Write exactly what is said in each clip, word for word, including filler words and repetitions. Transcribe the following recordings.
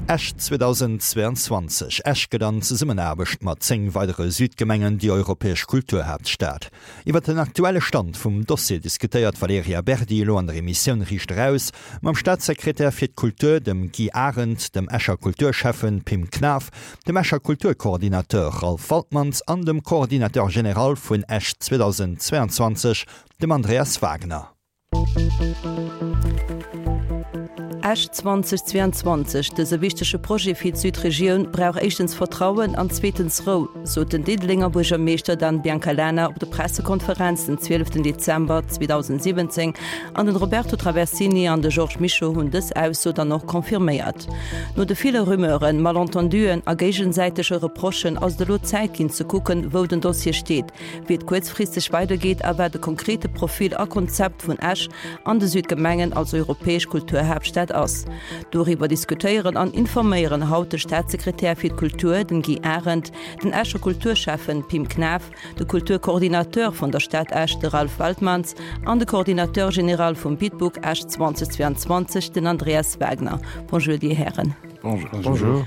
Esch zweedausendzweeanzwanzeg, Esch gëtt an Zesummenaarbecht mat zéng weidere Südgemengen déi europäesch Kulturhaaptstad. Iwwer den aktuelle Stand vum Dossier diskutéiert d'Valerija Berdi elo an der Emissioun Riicht Eraus mam Staatssekretär fir d'Kultur, dem Guy Arendt, dem Escher Kulturschäffen Pim Knaff, dem Escher Kulturcoordinateur Ralph Waltmanns an dem Coordinateur général vun Esch zweedausendzweeanzwanzeg, dem Andreas Wagner. Esch zweedausendzweianzwanzeg, Dëse wichtege Projet fir d'Südregioun brauch éischtens Vertrauen an zweetens Rou, sot den Diddelenger Buergermeeschter Dan Biancalana op der Pressekonferenz den zwieleften Dezember zweedausentsiwwenzéng an den Roberto Traversini an de Georges Mischo hunn dës Ausso dann och confirméiert. No de ville Rumeuren, Malentenduen a géigesäitege Reprochen ass et elo Zäit ginn ze kucken, wou den Dossier steet, wéi et kuerzfristeg weidergeet a wat de konkrete Profil a Konzept vun Esch an de Südgemengen als europäesch Kulturhaaptstad ass. Doriwwer diskutéieren an informéieren haut de Staatssekretär fir d'Kultur, den Guy Arendt, den Escher Kulturschäffen Pim Knaff, de Kulturcoordinateur vun der Stad Esch, de Ralph Waltmanns, an de Coordinateur général vum Bitbook Esch zweedausendzweianzwanzeg, den Andreas Wagner. Bonjour, Dir Hären. Bonjour.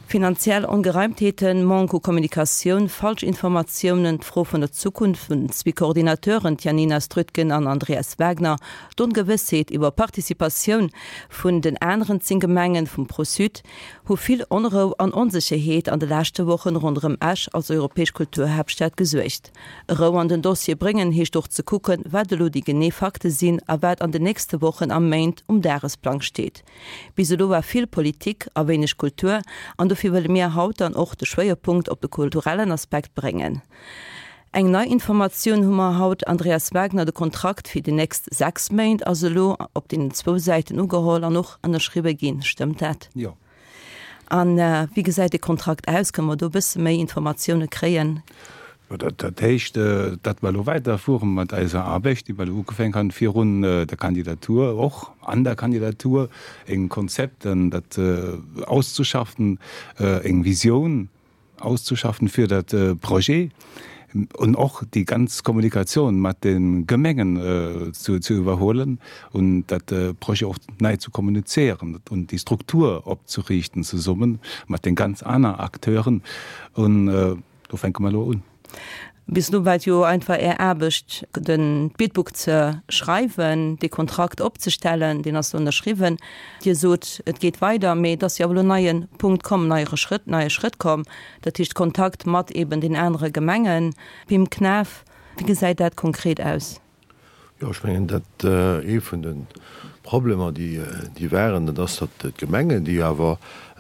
Finanziell Ongereimtheeten, Manque u Kommunikatioun, falsch Informatiounen, d'Fro vun der Zukunft vun den zwee Coordinateuren Janina Strötgen an Andreas Wagner, d'Ongewëssheet iwwer Participatioun vun den aneren zéng Gemengen vum ProSud, hu vill Onrou an Onsécherheet an de leschte Wochen ronderëm Esch als europäesch Kulturhaaptstad gesuergt. Rou an den Dossier bréngen heescht och ze kucken, wat elo déi genee Fakte sinn a wat an den nächste Wochen a Méint um Dagesplang steet. Bis elo war vill Politik a wéineg Kultur an dofir wëlle mir haut dann och de Schwéierpunkt op de kulturellen Aspekt bréngen. Eng nei Informatioun hu mer haut, Andreas Wagner, de Kontrakt fir déi nächst sechs Méint ass elo op deenen zwou Säiten ugeholl an och ënnerschriwwe ginn. Stëmmt dat? Jo. A wéi gesäit dee Kontrakt aus? Kënne mer do e bësse méi Informatioune kréien? Dat heescht, datt mer elo weiderfuere mat eiser Aarbecht, déi mer elo ugefänk han virun der Kandidatur, och an der Kandidatur, eng Konzept, dat auszuschaffen, eng Visioun auszuschaffen fir dat Projet und och déi ganz Kommunikatioun mat de Gemengen zu zu iwwerhuelen und dat Projet och nei zu kommunizéieren und déi Struktur opzeriichten zesummen mat den ganz aner Acteuren. Und do fänke mer elo un. Bis elo war et jo einfach Är Aarbecht, de Bidbook ze schreiwen, dee Kontrakt opzestellen, deen ass elo ënnerschriwwen. Dir sot, et geet weider, mee et ass jo awer elo en neie Punkt komm, neiere Schrëtt, neie Schrëtt komm, dat heescht Kontakt mat eeben den anere Gemengen. Pim Knaff, wéi gesäit dat konkret aus? Jo, ech mengen, dat ee vun de Problemer, déi waren, dat ass, datt d'Gemengen, déi awer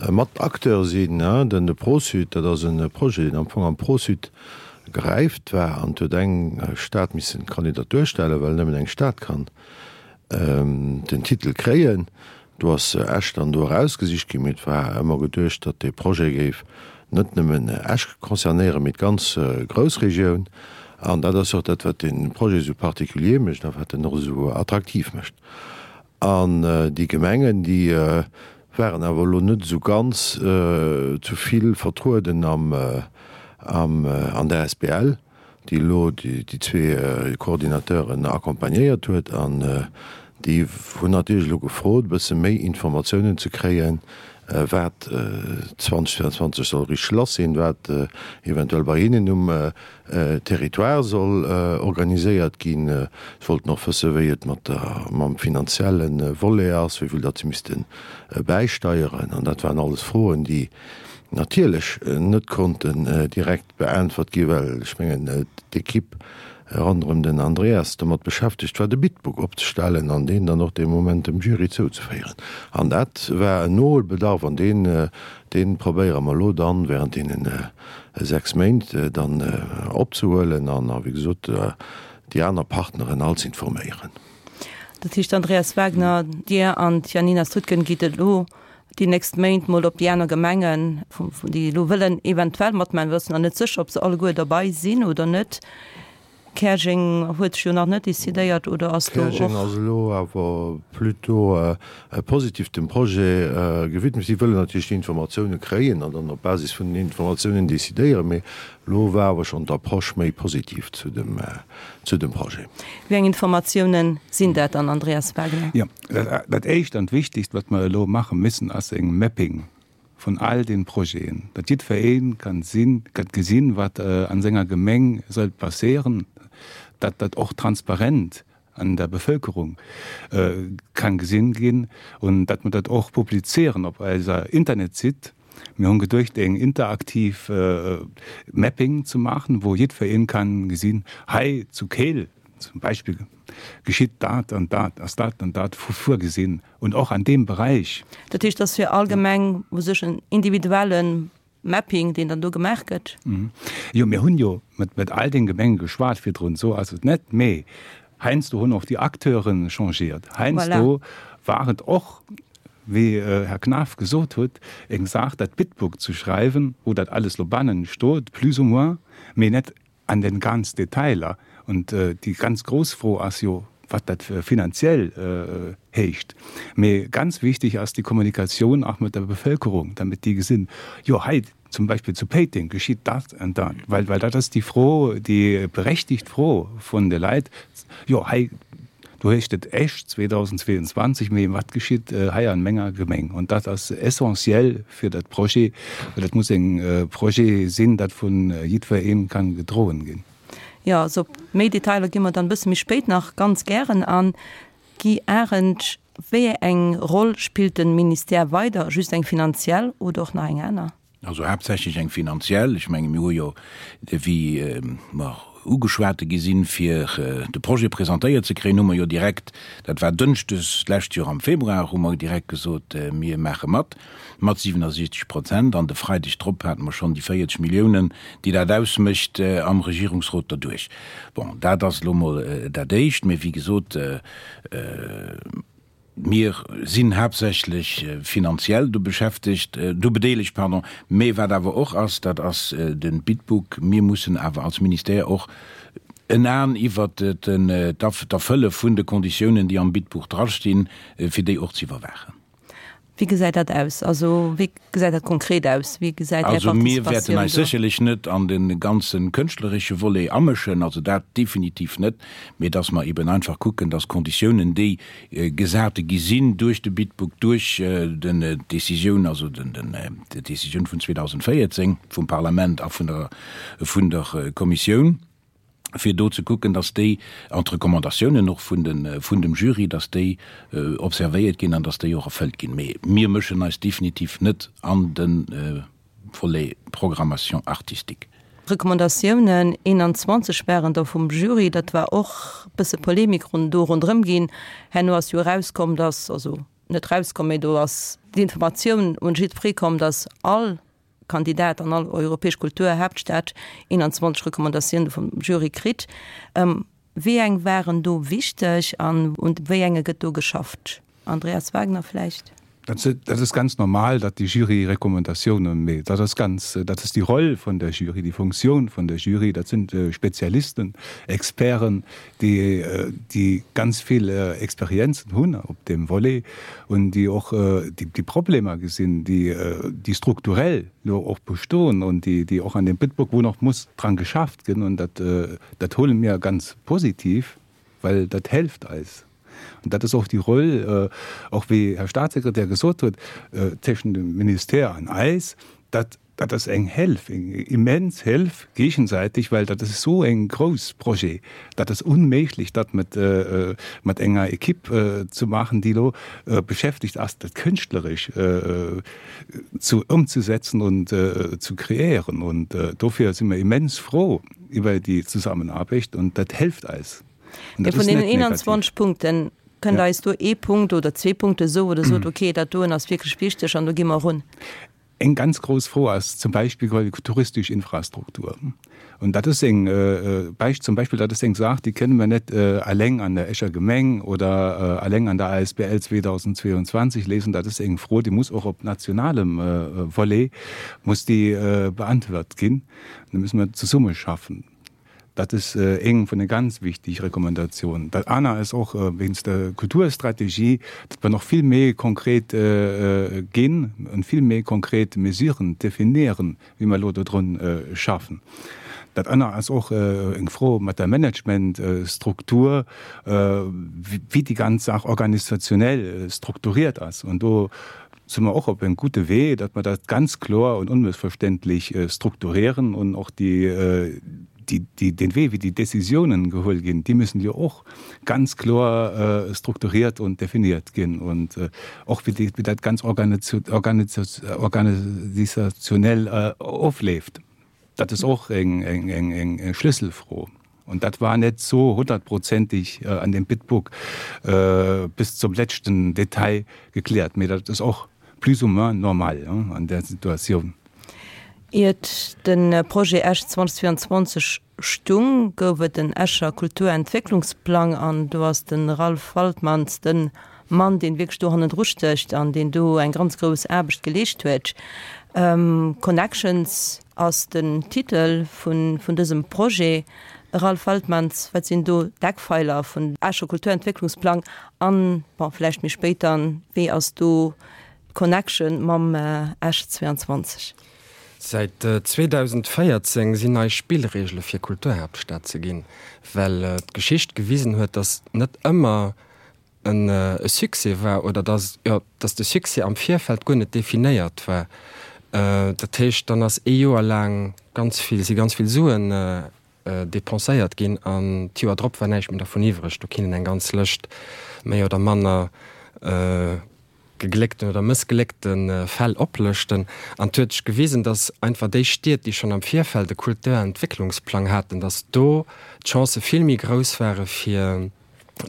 mat Acteur sinn, den de ProSud, dat ass e Projet, deen am Fong am ProSud geräift war, an et huet eng Stad missen d'Kandidatur stellen, well nëmmen eng Stad kann den Titel kréien. Do ass Esch dann do erausgesicht ginn, mee et war ëmmer geduecht, datt dee Projet géif net nëmmen Esch concernéieren, mee d'ganz Groussregioun. An dat ass och dat, wat dee Projet esou particulier mécht a wat en och esou attraktiv mécht. An déi Gemengen, déi waren awer elo net esou ganz zu vill vertrueden am, an der asbl, déi elo déi zwee Coordinateuren accompagnéiert huet. An déi hunn natierlech elo gefrot, e bësse méi Informatiounen ze kréien, wat zweedausendzweianzwanzeg soll richteg lass sinn, wat eventuell bei hinnen um Territoire soll organiséiert ginn. Si wollten och wëssen, wéi et mat der, mam finanzielle Volet ass, wéi vill datt si misste bäisteieren. An dat waren alles Froen, déi natierlech net konnten direkt beäntwert ginn, well ech mengen, d'Equipe ronderëm den Andreas domat beschäftegt war, de Bitbook opzestellen an deen dann och dee Moment dem Jury zouzeféieren. An dat war en Noholbedarf an deen, dee probéiere mer elo dann während deene sechs Méint dann opzehuelen an, wéi gesot, déi aner Partneren all z'informéieren. Dat heescht, Andreas Wagner, Dir an d'Janina Strutgen gitt elo déi nächst Méint mol op déi aner Gemengen, déi elo wëllen eventuell matmaachen, mir wëssen nach net sécher, ob se alleguer derbei sinn oder net. Käerjeng huet sech jo nach net decidéiert, oder ass do och. Käerjeng ass elo awer plutôt positiv dem Projet gewidmet. Si wëllen natierlech déi Informatioune kréien an dann op Basis vun den Informatiounen decidéieren. Mee elo war awer schonn d'Approche méi positiv zu dem, zu dem Projet. Wéi eng Informatiounen sinn dat dann, Andreas Wagner? Jo, dat Éischt an d'Wichtigst, wat mer elo maache müssen, ass eng Mapping vun all den Projeten, datt jiddweree kann sinn, kann gesinn, wat an senger Gemeng soll passéieren, datt dat och transparent an der Bevölkerung kann gesinn ginn und datt mer dat och publizéieren op eiser Internetsitt. Mir hunn geduecht, eng interaktiv Mapping ze maachen, wou jiddweree kann gesinn, hei zu Keel zum Beispill geschitt dat an dat, ass dat an dat vorgesinn und och an deem Beräich. Dat heescht, dass fir all Gemeng u sech en individuelle Mapping, deen dann do gemaach gëtt? Jo, mir hunn jo mat, mat all den Gemengen geschwat virdrun, esou ass et net, mee heiansdo hunn och déi Acteuren changéiert. Heiansdo war et och, wéi Här Knaff gesot huet, eng Saach, dat Bidbook ze schreiwen, wou dat alles lo bannen stoot, plus ou moins, mee net an den ganz Detailer. Und déi ganz grouss Fro ass jo, wat dat finanziell heescht. Mee ganz wichtig ass déi Kommunikatioun och mat der Bevölkerung, damit déi gesinn, jo hei zum Beispill zu Péiteng geschitt dat an dat, well well dat ass déi Fro, déi berechtigt Fro vun de Leit, jo hei do heescht et Esch zweedausendzweeanzwanzeg, mee wat geschitt hei an menger Gemeng? Und dat ass essentiell fir dat Projet, well dat muss eng Projet sinn, dat vun jiddwereen kann gedroen ginn. Jo, also op méi Detailer gi mer dann e bësse méi spéit nach ganz gären an. Guy Arendt, Wéi eng Roll spillt de Ministère weider? Just eng finanziell oder och nach eng aner? Also haaptsächlech eng finanziell. Ech menge mir hu jo, wéi mer ugeschwate gi sinn, fir de Projet presentéiert ze kréien, hu mer jo direkt, dat war dënschdes d'lescht Joer am Februar, hu mer direkt gesot, mir maache mat, mat siwenasiechzeg Prozent. An de Freideg drop hate mer schonn déi véierzeg Milliounen, déi dat ausmécht, am Regierungsrot derduerch. Bon, dat ass elo mol dat Éischt. Mee wéi gesot, mir sinn haaptsächlech finanziell do beschäftegt, do bedeelegt, pardon. Mee wat awer och ass, dat ass de Bidbook. Mir mussen awer als Ministère och en Aen iwwert d'Erfëlle vun de Konditiounen, déi am Bidbuch drastinn, fir déi och ze iwwerwaachen. Wéi gesäit dat aus? Also wéi gesäit dat konkret aus? Wéi gesäit Är Also mir wäerten Participatioun eis do? sécherlech net an de ganze kënschtleresche Volet amëschen, also dat definitiv net, mee dass mer eben einfach kucken, dass d'Konditiounen, déi gesate gi sinn duerch de Bidbook, duerch den d'Décisioun, also den den d'Décisioun vun zweedausendvéierzéng vum Parlament a vun der vun der Kommissioun, fir do ze kucken, dass déi, an d'Recommandatiounen och vun de, vun dem Jury, dass déi observéiert ginn an dass déi och erfëllt ginn. Mee mir mëschen eis definitiv net an de Volet Programmation artistique. Recommandatiounen eenanzwanzeg waren der vum Jury, dat war och e bësse Polemik run do ronderëm ginn. Herno ass jo erauskomm, dass, also net erauskomm, mee do ass d'Informatioun un jiddweree komm, dass all Kandidat an all europäesch Kulturhaaptstad eenanzwanzeg Recommandatioune vum Jury kritt. Wéi eng waren do wichteg an un wéi enge gëtt do geschafft? Andreas Wagner vläicht? Dat ass ganz normal, datt déi Jury Recommandatiounen mécht. Dat ass ganz, dat ass déi Roll vun der Jury, déi Funktioun vun der Jury. Dat sinn Spezialisten, Experten, déi, déi ganz vill Experienzen hunn op deem Volet un déi och déi Problemer gesinn, déi, déi strukturell lo och bestoen un déi, déi och an dem Bitburg, wou nach muss dran geschafft ginn. Un dat, dat huele mir ganz positiv, well dat helft eis. An dat ass och déi Roll, och wéi Här Statssekretär gesot huet, tëschent dem Ministère an eis, dat dat ass eng Hélf, eng immens Hélf géigesäiteg, well dat ass esou eng grouss Projet, dat ass unméiglech, dat mat mat enger Equipe ze maachen, déi elo beschäftegt ass, dat kënschtleresch zu ëmzesetzen und zu kreéieren. Und dofir si mir immens frou iwwer déi Zusammenaarbecht und dat helft eis. Mee vun deenen eenanzwanzeg Punkten, kënnt Der eis do ee Punkt oder zwee Punkte soen, wou Der sot, okay, dat doen ass wierklech wichteg an do gi mer erun? Eng ganz grouss Fro ass zum Beispill déi touristesch Infrastruktur. Und dat ass eng Beispill, zum Beispill, dat ass eng Saach, déi kënne mer net alleng an der Escher Gemeng oder alleng an der A S B L zweedausendzweeanzwanzeg léisen. Dat ass eng Fro, déi muss och op nationalem Volet muss déi beantwort ginn. Da müssen mer zesummeschaffen. Dat ass eng vun de ganz wichteg Recommandatiounen. Dat aner ass och wéinst der Kulturstrategie, datt mer nach vill méi konkret ginn an vill méi konkret Mesuren definieren, wéi mer elo dodrun schaffen. Dat aner ass och eng Fro mat der Managementstruktur, wéi déi ganz Saach organisationell strukturiert ass. An do sind wir och op en gute Wee, datt mer dat ganz kloer und unmissverständlich äh, strukturieren und och die, äh, die, die, den Wee, wéi déi Decisiounen geholl ginn, déi müssen jo och ganz kloer äh, strukturiert und definiert ginn und äh, och wéi, déi, wéi dat ganz organisationell äh, ofleeft. Dat ass och eng, eng, eng, eng Schlüsselfro. Und dat war net sou honnertprozenteg äh, an dem Bidbook äh, bis zum letzten Detail gekläert. Mee dat ass och plus ou moins normal ja, an der Situatioun. Iert de Projet Esch zweitausendzweiundzwanzeg stung, gouf et den Escher Kulturentwécklungsplang an do ass de Ralph Waltmanns de Mann, deen wierklech do hannendru stécht an deen do eng ganz grouss Aarbecht geleescht huet. Ähm, Connections ass den Titel vun, vun dësem Projet. Ralph Waltmanns, wat sinn do d'Eckpfeiler vun Escher Kulturentwécklungsplang an, bon, vläicht méi spéit dann, wéi ass do d'Connection mam Esch zweiundzwanzeg? Säit zweedausendvéierzéng sinn nei Spillreegele fir Kulturhaaptstad ze ginn, well d'Geschicht gewisen huet, datt net ëmmer e Succès war oder datt, jo, datt de Succès am Virfeld guer net definéiert war. Dat heescht, dann ass ee Joer laang ganz vill, si ganz vill Suen depenséiert ginn an d'Joer drop war näischt méi dervun iwwreg. Do kinnt een eng ganz Lëscht méi oder manner gegléckten oder mëssgléckte Fäll oplëschten. An et huet sech gewisen, datt einfach déi Stied, déi schonn am Virfeld e Kulturentwécklungsplang haten, datt do d'Chancë vill méi grouss ware fir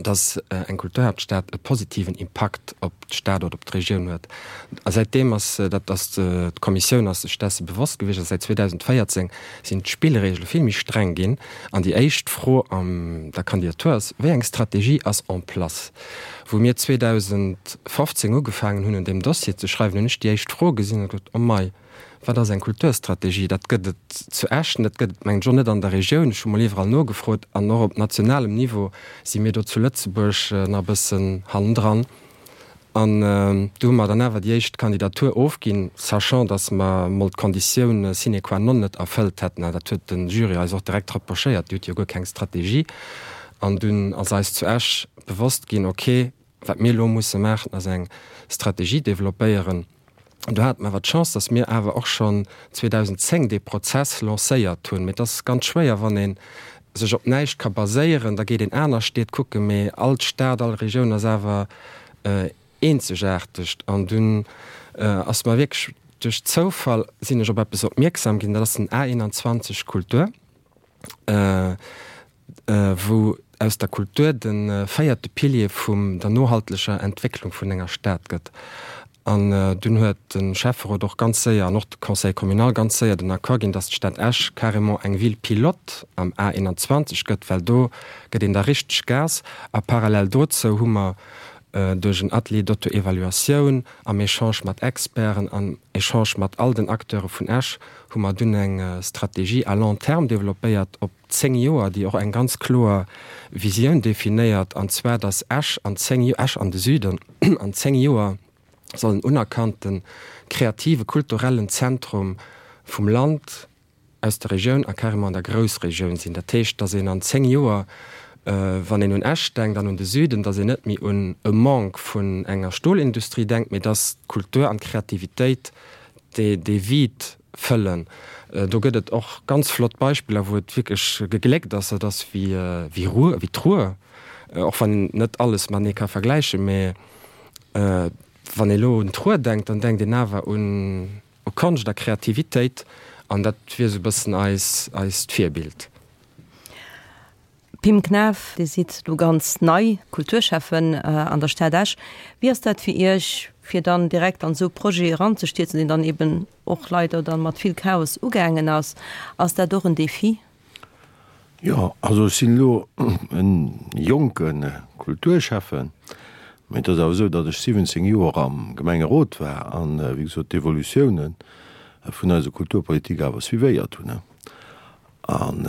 datt eng Kulturhaaptstad e positiven Impakt op d'Stad oder op d'Regioun huet. A säitdeem ass dat, ass d'Kommissioun ass sech desse bewosst gewiescht a säit zweedausendvéierzéng sinn d'Spillregele vill méi streng ginn. An déi éischt Fro an der Kandidatur ass, Wéi eng Strategie ass en place? Wou mir zweedausendfofzéng ugefaangen hunn un deem Dossier ze schreiwen, hunn ech déi éischt Fro gesinn a gesot, Oh mei, wat ass eng Kulturstrategie? Dat gëtt et zu Esch net, dat gëtt et mengen ech och net an der Regioun. Ech hu mol iwwerall nogefrot an och op nationalem Niveau si mir do zu Lëtzebuerg nach e bëssen hannendran. An do hu mer dann awer déi éischt Kandidatur ofginn, sachant, datt mer mol d'Konditioun sine qua non net erfëllt hätten. An dat huet de Jury eis och direkt reprochéiert, Dir hutt jo guer keng Strategie. An dunn ass eis zu Esch bewosst ginn, okay, wat mir elo musse maachen, ass eng Strategie developpéieren. Do hate mer awer d'Chance, dass mir awer och schonn zweedausendzéng dee Prozess lancéiert hunn. Mee et ass ganz schwéier, wann ee sech op näischt ka baséieren. Da geet een aner Stied kucken, mee all Stad, all Regioun ass awer eenzegaarteg. An dunn ass mer wierklech duerch Zoufall sinn ech op eppes opmierksam ginn, dat ass den A einundzwanzeg Kultur. Wou aus der Kultur de véierte Pilier vum der nohaltlecher Entwécklung vun enger Stad gëtt. An dunn huet de Schäfferot och ganz séier an och de Conseil communal ganz séier den Accord ginn, datt d'Stad Esch carrément eng Ville pilote am A einundzwanzeg gëtt, well do gëtt een da richteg Gas. A parallel dozou hu mer duerch en Atelier d'auto-évaluatioun, am Echange mat Experten, am Echange mat all den Acteure vun Esch, hu mer dunn eng Strategie à long terme développéiert op zéng Joer, déi och eng ganz kloer Visioun definéiert, an zwar datt Esch an zéng, Esch an de Süden an zéng Joer soll en unerkannte kreative kulturellen Zentrum vum Land, aus der Regioun a carrément an der Groussregioun sinn. Dat heescht, datt een an zéng Joer, wann een un Esch denkt an un de Süden, datt een net méi un e Manque vun enger Stolindustrie denkt, mee datt d'Kultur an d'Kreativitéit dee Vide fëllen. Do gëtt et och ganz flott Beispiller, wou et wierklech gegléckt ass. Dat ass wéi Ruhr, wéi d'Ruhr, och wann een net alles matenee ka vergläichen, mee wann ee lo un d'Ruhr denkt, dann denkt een awer un Konscht a Kreativitéit an dat wier esou e bëssen eis, eist Virbild. Pim Knaff, Dir sidd elo ganz nei Kulturschäffen an der Stad Esch. Wéi ass dat fir Iech, fir dann direkt an esou e Projet eranzestierzen, deen dann eben och leider dann mat vill Chaos ugaangen ass? Ass dat och en Defi? Jo, also ech sinn elo e jonke Kulturschäffen, mä et ass awer esou, datt ech siwwenzéng Joer am Gemengerot war an, wéi gesot, d'Evolutiounen vun eiser Kulturpolitik awer suivéiert hunn. An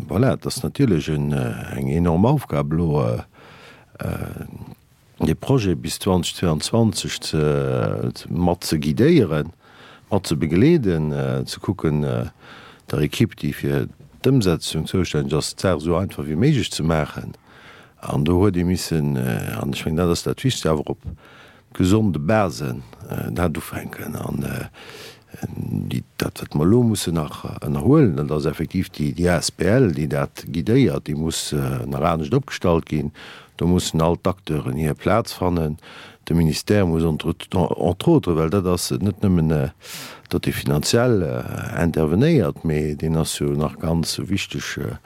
voilà, et ass natierlech eng enorm Aufgab elo, dee Projet bis zweitausendzweiundzwanzeg ze mat ze guidéieren, mat ze begleeden, ze kucken, der Equipe, déi fir d'Ëmsetzung zoustänneg ass, d'Saach esou einfach wéi méiglech ze maachen. An do huet ee missen, an ech mengen, dat ass dat Wichtegst, awer op gesonde Basen dat ufänken. An déi, dat wat mer elo mussen nach ënnerhuelen, dat ass effektiv déi, déi asbl, déi dat guidéiert, déi muss nach anescht opgestallt ginn. Do mussen all d'Acteuren hir Plaz fannen. De Ministère muss entre, entre autres, well dat ass net nëmmen, datt dee finanziell intervenéiert, mee deen ass jo nach ganz wichteg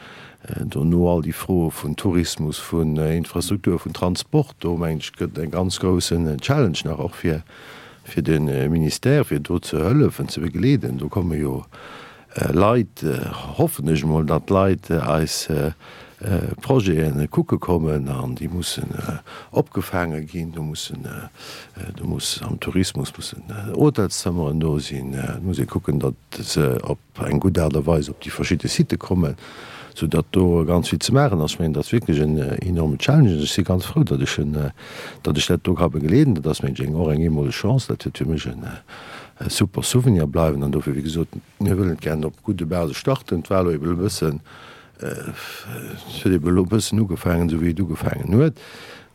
dono all déi Froe vun Tourismus, vun Infrastruktur, vun Transport. Do mengen ech gëtt e ganz groussen Challenge nach och fir, fir de Ministère, fir do ze hëllefen, ze begleeden. Do komme jo Leit, hoffen ech emol, datt Leit eis Projete kucke kommen an déi mussen opgefaange ginn. Do mussen, do muss am Tourismus mussen Hotelszëmmeren do sinn. Et muss ee kucken, datt se op eng gutt Aart a Weis op déi verschidde Sitë kommen, soudatt do ganz vill ze maachen ass. Ech mengen, dat ass wierklech en enorme Challenge an ech si ganz frou, datt ech en, datt ech dat do ka begleeden. Dat ass, mengen ech, och eng eemoleg Chance. Dat wäert fir mech e super Souvenir bleiwen an dofir, wéi gesot, mir wëllen et gären op gudde Base starten. Et war elo ebe e bëssen, et huet ebe elo e bëssen ugefaangen, esou wéi et ugefaangen huet.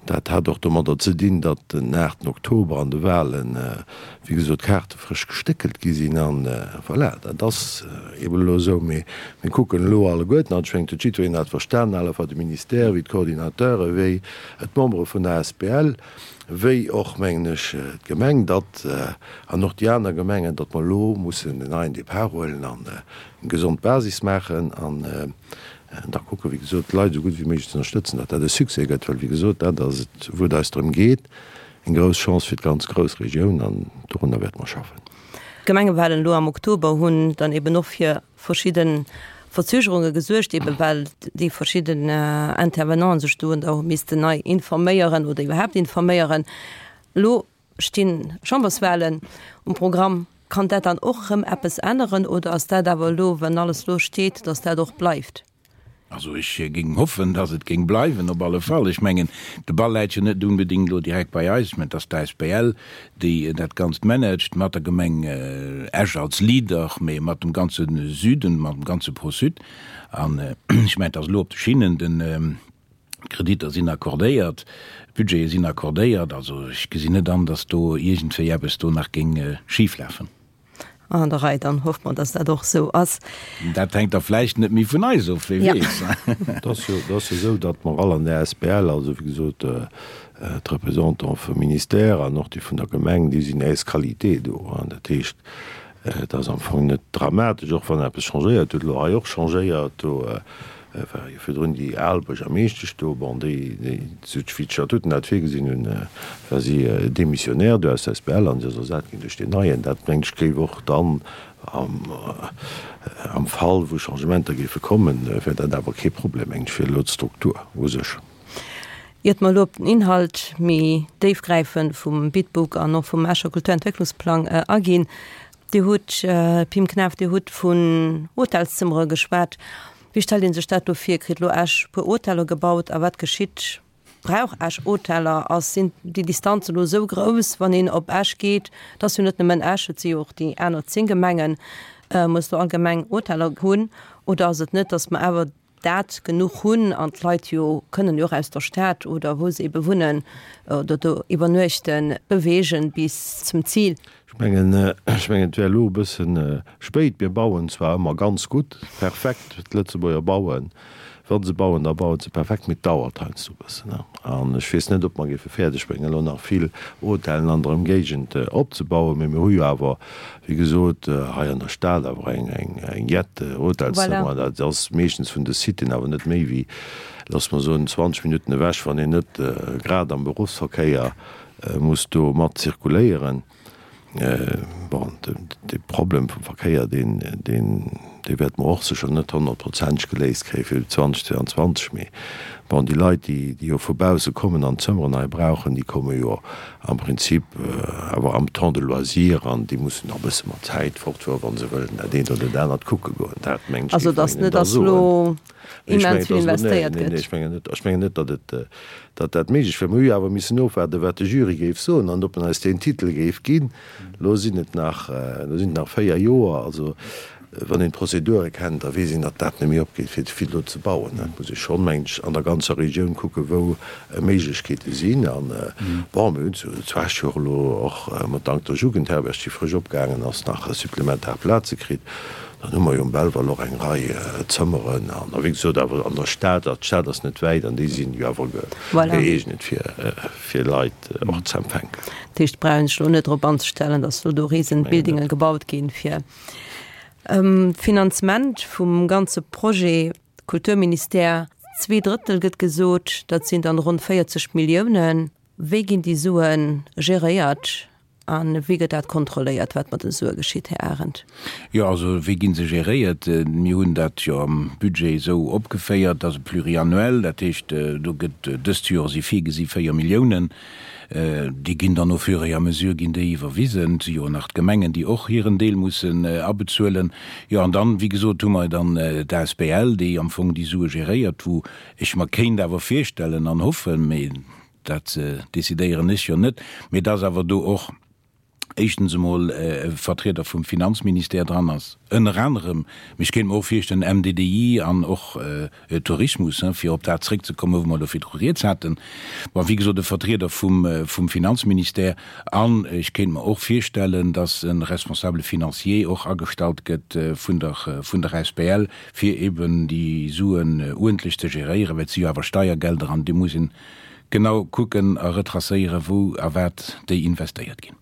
Dat hat och domadder ze dinn, datt den aachten Oktober an de Wahlen, wéi gesot, d'Kaarte frësch gestéckelt gi sinn. An voilà, dat ass eeben elo esou. Mee mir kucken elo alleguerten, an ech mengen, et huet jiddwereen dat verstanen, à la fois de Ministère wéi d'Coordinateure wéi d'Membere vun der asbl, wéi och, mengen ech, d'Gemeng, datt, an och déi aner Gemengen, datt mer elo mussen en neien Depart huelen an eng gesond Basis maachen. An da kucken, wéi gesot, d'Leit esou gutt wéi méiglech ze ënnerstëtzen, datt dat e Succès gëtt, well, wéi gesot, dat ass et, wou et eis drëm geet, eng grouss Chance fir d'ganz Groussregioun, an dorunner wäerte mer schaffen. D'Gemengewahlen elo am Oktober hunn dann eben och fir verschidde Verzögerunge gesuergt, eben well déi verschidden Intervenanten sech do da hu missten nei informéieren oder iwwerhaapt informéieren. Elo stinn Chamberswahlen um Programm. Kann dat dann och erëm eppes änneren oder ass dat awer elo, wann alles elo steet, datt dat och bleift? Also ech géing hoffen, datt et géing bleiwen, op alle Fall. Ech mengen, de Ball läit jo net unbedéngt elo direkt bei eis, mä et ass d'ASBL, déi dat Ganzt managt, mat der Gemeng Esch als Leader, mä mat dem ganze Süden, mat dem ganze Pro-Sud. An ech mengen, et ass elo op de Schinnen. Den. D'Kreditter sinn accordéiert, d'Budgete sinn accordéiert. Also ech gesinn net an, datt do iergendwéi eppes do nach géing schiflafen. An der Rei, dann hoffe mer, datt dat och esou ass. Dat hänkt da vläicht net méi vun eis of, wie weess. Et ass jo esou, datt mer all an der asbl, also wéi gesot d'Représentante vum Ministère an och déi vun der Gemeng, déi sinn ès qualité do. Dat heescht, Et ass am Fong net dramatesch, och wann eppes changéiert huet, elo hei och changéiert, do war jo virdrun déi al Buergermeeschtesch do, bon, déi, déi, sou wéi d'Statuten dat virgesinn hunn, war si démissionnaire do aus der asbl an si ass ersat ginn duerch deen neien. Dat, mengen ech, géif och dann am, am Fall wou Changementer géife kommen, wär dat awer kee Problem, mengen ech, fir elo d'Struktur u sech. Iert mer elo op den Inhalt méi déifgräifend vum Bitbook an och vum Escher Kulturentwécklungsplang aginn, Dir hutt, Pim Knaff, Dir hutt vun Hotelszëmmere geschwat. Wéi stellt ee sech dat do vir? Kritt elo Esch e puer Hoteller gebaut a wat geschitt? Brauch Esch Hoteller? Ass, sinn déi Distanzen elo esou grouss, wann een op Esch geet? Et ass jo net nëmmen Esch, et si jo och déi aner zéng Gemengen. Muss do all Gemeng Hoteller hunn oder ass et net, datt mer awer dat genuch hunn an d'Leit jo kënnen jo och aus der Stad oder wou se ebe wunnen oder do iwwernuechten, beweegen bis zum Zil. Ech mengen, ech mengen, et wär elo e bësse spéit. Mir bauen zwar ëmmer ganz gutt, perfekt, d'Lëtzebuerger bauen, wa se bauen, da bauen se perfekt, mee et dauert heiansdo e bëssen. An ech weess net, ob mer géife fäerdeg bréngen, elo nach vill Hotellen an der Ëmgéigend opzebauen. Mee mir hu jo awer, wéi gesot, hei an der Stad awer eng, eng, eng jett Hotelszëmmer. Voilà. Dat ass meeschtens vun de Siten awer net méi wéi, loosse mer soen, zwanzeg Minutten ewech, wann een net grad am Beruffsverkéier muss do mat zirkuléieren. Bon, de Problem vum Verkéier, deen, deen, dee wäerte mer och sécher net honnertprozenteg geléist kréie fir zweitausendzweiundzwanzeg. Mee bon, déi Leit, déi, déi jo vu bausse kommen an d'Zëmmeren hei brauchen, déi komme jo am Prinzip awer am Temps de loisir an déi mussen och e bësse mat Zäit fortfueren, wa se wëllen dat eent oder dat anert kucke goen. Dat, mengen ech, Also, géif dass een net da dass soen. elo Ech mengen, immens vill et ass elo, nee, investéiert nee, nee, gëtt. ech mengen net, ech mengen net, datt et, datt dat méiglech wär. Mir hu jo awer missen ofwaarden, wat de Jury géif soen an ob en eis deen Titel géif ginn. Elo sinn et nach, elo sinn et nach véier Joer. Also Wann een d'Prozedure kennt, da weess een, datt dat net méi opgeet, fir ze vill do ze bauen. Et muss ee schonn, mengen ech, an der ganzer Regioun kucken, wou Méiglechkeete sinn. An, bon, mir hunn zu Esch jo och elo och mat dank der Jugendherberg, déi frësch opgaangen ass, nach supplementar Plaze kritt. Dann hu mer jo um Belval och eng Rei Zëmmeren. An wéi gesot, awer an der Stad, a d'Stad ass net wäit, an déi sinn jo awer gëeegnet, fir Leit och ze empfänken. Dat heescht, et brauch een sech elo net drop anzestellen, datt elo do Riesenbuildinge gebaut ginn, fir Finanzement vum ganze Projet. Kulturministère, zwee Drëttel gëtt gesot, dat sinn dann ronn véierzeg Milliounen. Wéi ginn déi Sue geréiert? A wéi gëtt dat kontrolléiert, wat mat den Sue geschitt, Här Arendt? Jo, also wéi gi se geréiert? Mir hunn dat jo am Budget esou opgeféiert, dat ass e pluriannuel, dat heescht, do gëtt dëst Joer si virgesi véier Milliounen. Déi ginn dann au fur et à mesure ginn déi iwwerwisen. Et si jo nach d'Gemengen, déi och hiren Deel mussen abezuelen. Jo, an dann, wéi gesot, hu mer dann d'Asbl, déi am Fong déi Sue geréiert, wou ech mer kéint awer virstellen an hoffen, mee dat decidéieren ech jo net, mee dass awer do och éischtens emol e Vertrieder vum Finanzministère dran ass, ënner anerem, mee ech kéint mer och virstellen M D D I an och Tourismus, fir op dat zréckzekommen, wou mer elo virdru rieds haten. Bon, wéi gesot, e Vertrieder vum vum Finanzministère an ech kéint mer och virstellen, dass e Responsable financier och agestallt gëtt vun der vun der A S B L, fir eben déi Suen uerdentlech ze geréieren, well et si jo awer Steiergelder an déi muss een genau kucken a retracéieren, wou a wat déi investéiert ginn.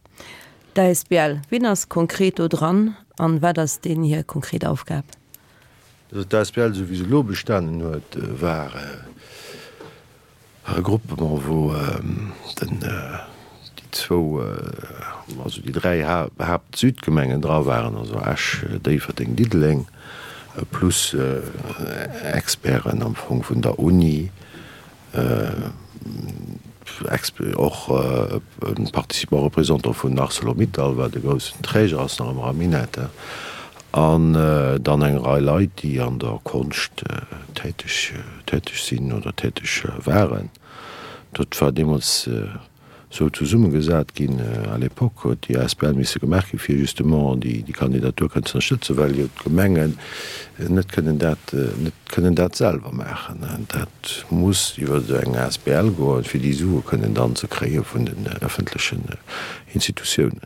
D'A S B L, wien ass konkret do dran an wat ass deenen hir konkret Aufgab? Also d'A S B L, esou wéi se elo bestanen huet, war e Groupement, wou den, déi zwou, also déi dräi Haapt-Südgemengen dra waren, also Esch, Déifferdeng, Diddeleng, plus Experten am Fong vun der Uni, och e Participant représentant vun Arcelor-Mittal, wat e groussen Träger ass nach ëmmer am Minett, an dann eng Rei Leit, déi an der Konscht täteg täteg sinn oder täteg waren. Dat war deemools esou zesummegesat ginn. À l'époque huet déi A S B L misse gemaach ginn, fir justement déi Kandidatur kënnen ze ënnerstëtzen, well jo d'Gemengen net kënnen dat, net kënnen dat selwer maachen. Dat muss iwwer eng A S B L goen, fir déi Sue kënnen dann ze kréie vun den ëffentlechen Institutiounen.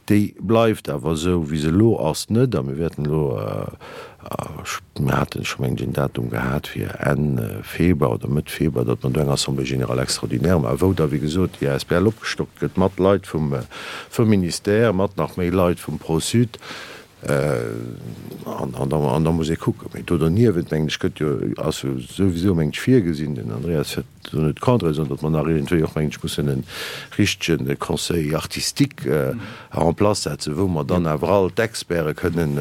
Déi bleift awer esou, wéi se elo ass, net. A mir wäerten elo, mir haten scho mengen ech en Datum gehat fir Enn Februar oder Mëtt Februar, datt mer do eng Assemblée générale extraordinaire maachen, wou da wéi gesot déi A S B L opgestockt gëtt mat Leit vum Ministère, mat nach méi Leit vum Pro-Sud. An an da muss ee kucken. Mee do derniewent, mengen ech, gëtt jo, ass jo souwisou, mengen ech, virgesinn, den Andreas wäert do net Contraire soen, datt mer nach iergendwéi och, mengen ech, mussen e richtege Conseil artistique en place setzen, wou mer dann awer all d'Experte kënnen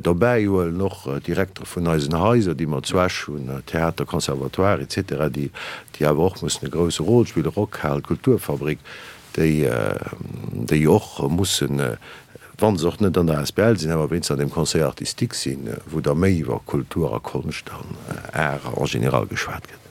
dobäihuelen, och d'Direktere vun eisen Haiser, déi mer zu Esch hunn, Theater, Conservatoire et cetera, déi awer och mussen e grouse Rôle spillen, Rockhal, Kulturfabrik, déi déi och mussen, wa se och net an der A S B L sinn, awer wéinstens an deem Conseil artistique sinn, wou da méi iwwer Kultur a Konscht an Art en général geschwat gëtt.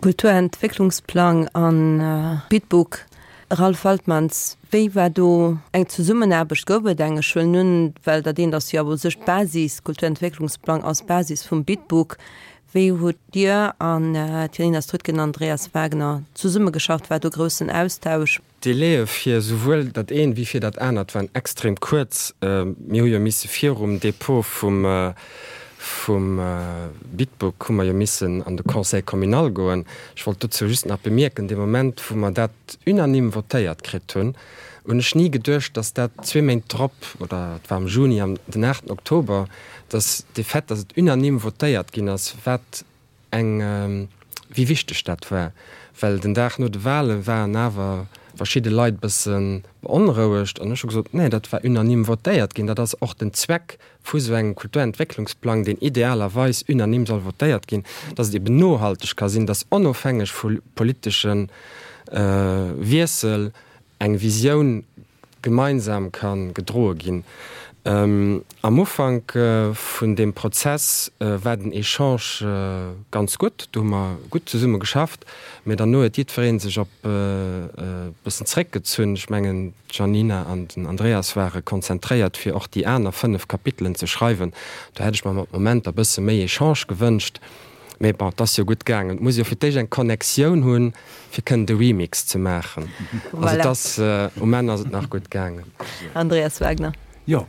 Kulturentwécklungsplang an Bitbook, Ralph Waltmans, wéi war do eng Zesummenaarbecht? Gouf et eng? Ech huelen un, well dat eent ass jo awer u sech d'Basis, Kulturentwécklungsplang ass d'Basis vum Bitbook. Wéi hutt Dir an d'Janina Strüttgen an Andreas Wagner zesummegeschafft? War do groussen Austausch? D'Délaië fir souwuel dat eent wéi fir dat anert waren extrem kuerz. Mir hu jo misse virum Dépôt vum vum Bitbook hu mer jo missen an de Conseil communal goen. Ech wollt dozou just nach bemierken, dee Moment wou mer dat unanime votéiert kritt hunn, hunn ech ni geduecht, dass dat zwee Méint drop, oder et war am Juni, am den aachten Oktober, dass de Fait, dass et unanime votéiert ginn ass, wat eng, wéi wichteg dat war, well den Dag no de Wale waren awer verschidde Leit e bësse beonrouegt an ech hu gesot, Nee, dat war unanime votéiert ginn, dat ass och den Zweck vu sou engem Kulturentwécklungsplang, deen idealerweis unanime soll votéiert ginn, dass et eben nohalteg ka sinn, dass onofhängeg vu politesche Wiessel eng Visioun gemeinsam ka gedroe ginn. Am Ufank vun deem Prozess war den Echange ganz gutt, do hu mer gutt zesumme geschafft, mä derno huet jiddweree sech op bëssen zréckgezunn. Ech mengen, d'Janina an den Andreas ware konzentréiert, fir och déi aner fënnef Kapitelen ze schreiwen. Do hätt ech mer mat Momenter e bësse méi Echange gewënscht. Mee bon, et ass jo gutt gaangen. Et muss jo fir d'éischt eng Connectioun hunn, fir kënnen de Remix ze maachen. Also et ass, um Enn ass et nach gutt gaangen. Andreas Wagner. Jo,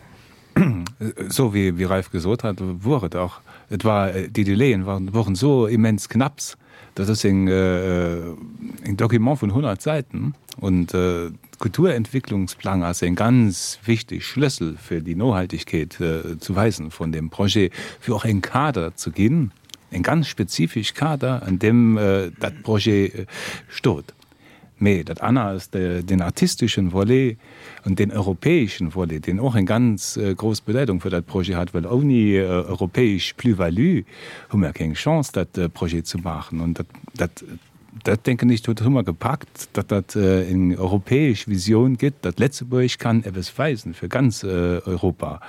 esou wéi wéi Ralph gesot hat, wor et och. Et war, déi Delaien waren, woren esou immens knapps. Dat ass eng eng Document vun honnert Säiten und Kulturentwicklungsplang ass eng ganz wichteg Schlëssel fir déi Nohaltegkeet zu weisen vun deem Projet, fir och eng Kader ze ginn, eng ganz spezifesch Kader, an deem dat Projet stot. Mee dat aner ass den artisteschen Volet an den europäeschen Volet, deen och eng ganz grouss Bedeitung fir dat Projet hat, well ouni europäesch Plus-value hu mer keng Chance, dat Projet ze maachen. An dat, dat, dat denken ech, dat hu mer gepackt, datt dat eng europäesch Visioun gëtt, datt Lëtzebuerg kann eppes weisen fir ganz Europa.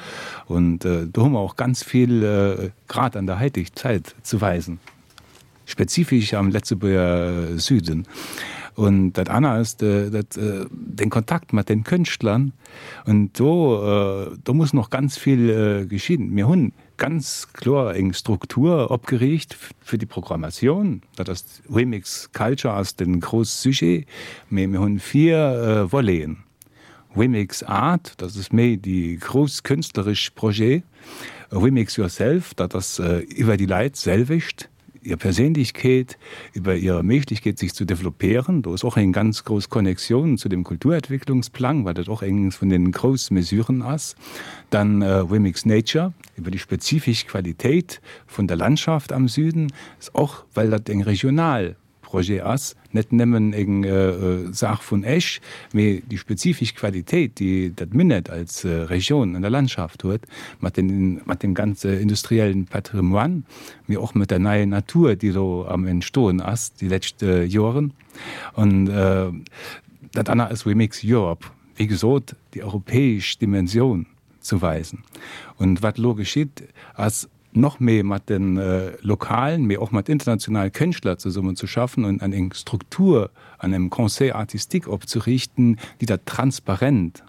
Und do hu mer och ganz vill grad an der heiteg Zäit ze weisen. Spezifesch am Lëtzebuerger Süden. Und dat aner ass dat den Kontakt mat den Kënschtlern. Und do do muss noch ganz vill geschehen. Mir hunn ganz kloer eng Struktur opgeriicht fir déi Programmation. Dat ass Remix Culture ass den grouss Sujet, mee mir hunn vier Voleten. Remix Art, dat ass méi déi grouss künstleresch Projet. Remix Yourself, dat ass iwwer déi Leit selwecht, ihr Perséinlechkeet, iwwer ihre Méiglechkeet sich zu developéieren. Do ass och eng ganz grouss Connexion zu dem Kulturentwicklungsplang, well dat och eng vun den grouss Mesuren ass. Dann Remix Nature, iwwer déi spezifesch Qualitéit vun der Landschaft am Süden, ass och, well dat eng regional Projet ass, net nëmmen eng Saach vun Esch, mee déi spezifesch Qualitéit, déi dat Minett als Region an der Landschaft huet, mat den, mat dem ganze industriellen Patrimoine, mee och mat der neien Natur, déi elo am Entstoen ass déi lescht Joren. An dat aner ass Remix Europe, wéi gesot, déi europäesch Dimension ze weisen. Und wat elo geschitt, ass noch méi mat den lokalen, mee och mat internationalen Kënschtler zesummen ze schaffen und an eng Struktur an engem Conseil artistique opzeriichten, déi dat transparent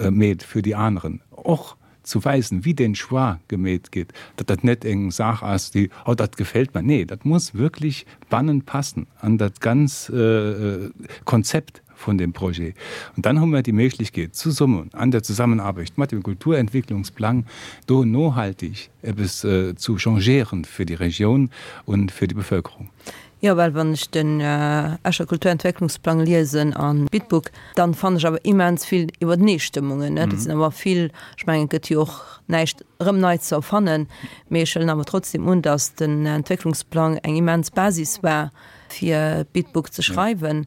meet fir déi aneren, och zu weisen, wéi den Choix gemeet gëtt, datt dat net eng Saach ass, déi, oh dat gefält mer, nee, dat muss wierklech bannen passen an dat ganz Konzept vun dem Projet. Und dann hu mer déi Méiglechkeet, zesummen an der Zusammenarbeit mat dem Kulturentwicklungsplang do nohaltig eppes zu changéieren fir déi Regioun und fir déi Bevölkerung. Jo, well wann ech den Escher Kulturentwicklungsplang liesen an Bitbook, dann fannen ech awer immens vill Iwwerneestëmmungen. Dat sinn awer vill, ech mengen, et gëtt jo och näischt erëm nei ze erfannen, mee ech huelen awer trotzdem un, datt den Entwécklungsplang eng immens Basis war, fir Bitbook ze schreiwen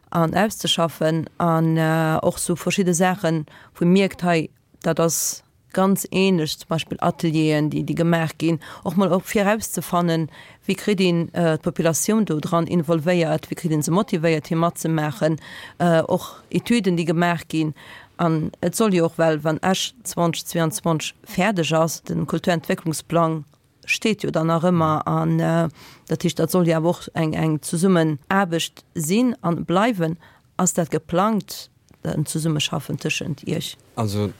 an auszeschaffen an och sou verschidde Saachen, wou ee mierkt, hei, dat ass ganz ähnlech, zum Beispill Atelieren, déi, déi gemaach ginn, och mol och fir erauszefannen, wéi kritt een d'Populatioun do dran involvéiert, wéi kritt een se motivéiert, fir matzemaachen, och Etüden, déi gemaach ginn. An et soll jo och, well wann Esch zweitausendzweiundzwanzeg fäerdeg ass, de Kulturentwécklungsplang steet jo dann nach ëmmer an dat heescht, dat soll jo awer och eng, eng Zesummenaarbecht sinn a bleiwen. Ass dat geplangt, en Zesummeschaffen tëschent Iech? Also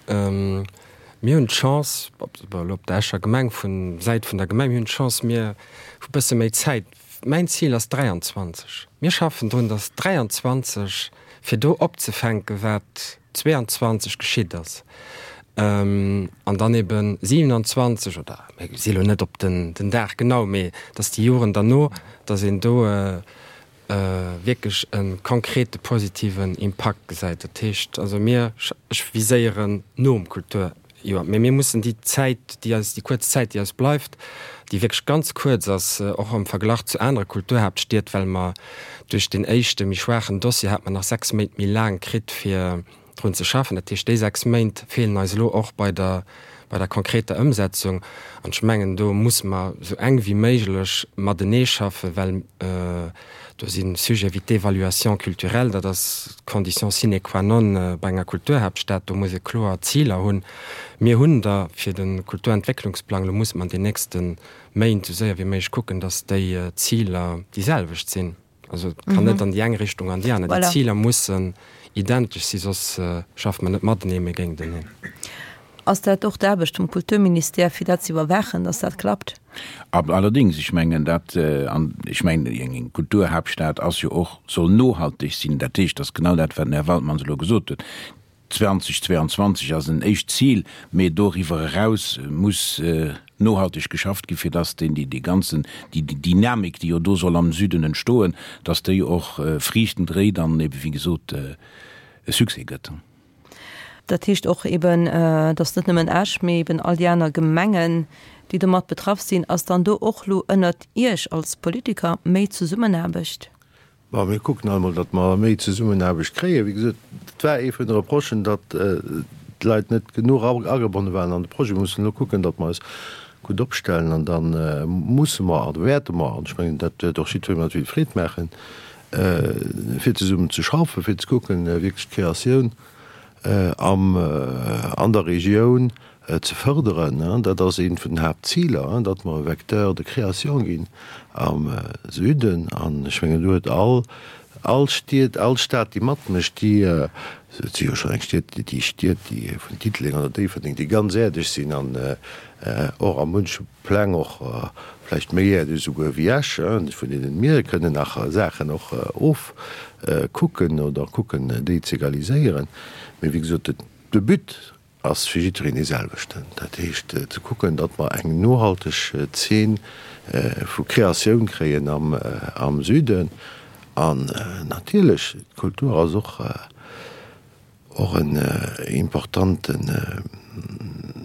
mir hunn d'Chance, elo op der Escher Gemeng, vun Säit vun der Gemeng, mir hunn d'Chance, mir hu bësse méi Zäit. Mäin Zil ass dräianzwanzeg. Mir schaffen drun, datt dräianzwanzeg, fir do opzefänken, wat zweeanzwanzeg geschitt ass, an dann ebe siewenanzwanzeg, oder mir si elo net op den Dag genau, mee datt déi Joren derno, datt een do wierklech e konkrete positiven Impakt gesäit. Dat heescht also mir, ech viséieren nom Kulturjoer, mee mir mussen déi Zäit, déi eis, déi kuerz Zäit, déi eis bleift, déi wierklech ganz kuerz ass, och am Verglach zu anere Kulturhaaptstied, well mer duerch deen éischte méi schwaachen Dossier hate mer nach sechs Méint méi laang kritt, fir drun ze schaffen. Dat heescht, déi sechs Méint feelen eis elo och bei der, bei der konkreter Ëmsetzung. An ech mengen, do musse mer esou enk wéi méiglech matenee schaffen, well do si Sujete wéi d'Évaluation culturelle, dat ass d'Condition sine qua non bei enger Kulturhaaptstad, do muss ee kloer Ziler hunn. Mir hunn der fir de Kulturentwécklungsplang, elo musse mer an den nächste Méint esou séier wéi méiglech kucken, datt déi Ziler déi selwecht sinn. Also et kann net an déi eng Richtung an déi aner. Déi Ziler mussen identesch si, soss schafft mer net matenee, mee géinteneen. Ass dat och d'Aarbecht vum Kulturministère, fir dat ze iwwerwaachen, dass dat klappt? Allerdéngs, ech mengen dat, an ech mengen eng Kulturhaaptstad ass jo och, soll nohalteg sinn. Dat heescht, dass genau dat, wat den Här Waldmanns elo gesot huet, zweitausendzweiundzwanzig ass en éischt Zil, mee doriwwer eraus muss nohalteg geschafft ginn, fir dass deen, déi ganzen, déi Dynamik, déi jo do soll am Süden entstoen, dass déi och Friichten dréit an ebe wéi gesot e Succès gëtt. Dat heescht och eben, dass net nëmmen Esch, mee eben all déi aner Gemengen, déi domat betraff sinn. Ass dann do och elo ënnert Iech als Politiker méi Zesummenaarbecht? Bon, mir kucken alt mol, datt mer méi Zesummenaarbecht kréien. Wéi gesot, et war ee vun de Reprochen, datt d'Leit net genuch agebonne waren an de Projet. Mir mussen elo kucken, datt mer eis gutt opstellen an da musse mer a wäerte mer, an ech mengen, dat wäert och jiddweree mat vill Freed maachen, fir zesummen ze schaffen, fir ze kucken, wierklech d'Kreatioun am an der Regioun ze fërderen. Dat ass eent vun den Haaptziler, datt mer e Vecteur de création ginn am Süden. An ech mengen, do huet all all Stied, all Stad, déi matmécht, déi, et si jo schonn eng Stied, déi Stied, déi vun Diddeleng oder Déifferdeng, déi ganz äerdeg sinn an och a munche Pläng och vläicht méi äerdeg esouguer wéi Esch, vun deenen mir kënnen nach Saachen och ofkucken oder kucken, déi z'egaliséieren. Mee wéi gesot, de But ass fir jiddwereen dee selwechten, dat heescht ze kucken, datt mer eng nohalteg Zeen vu Kreatioun kréien am Süden. An natierlech, d'Kultur ass och och en importanten,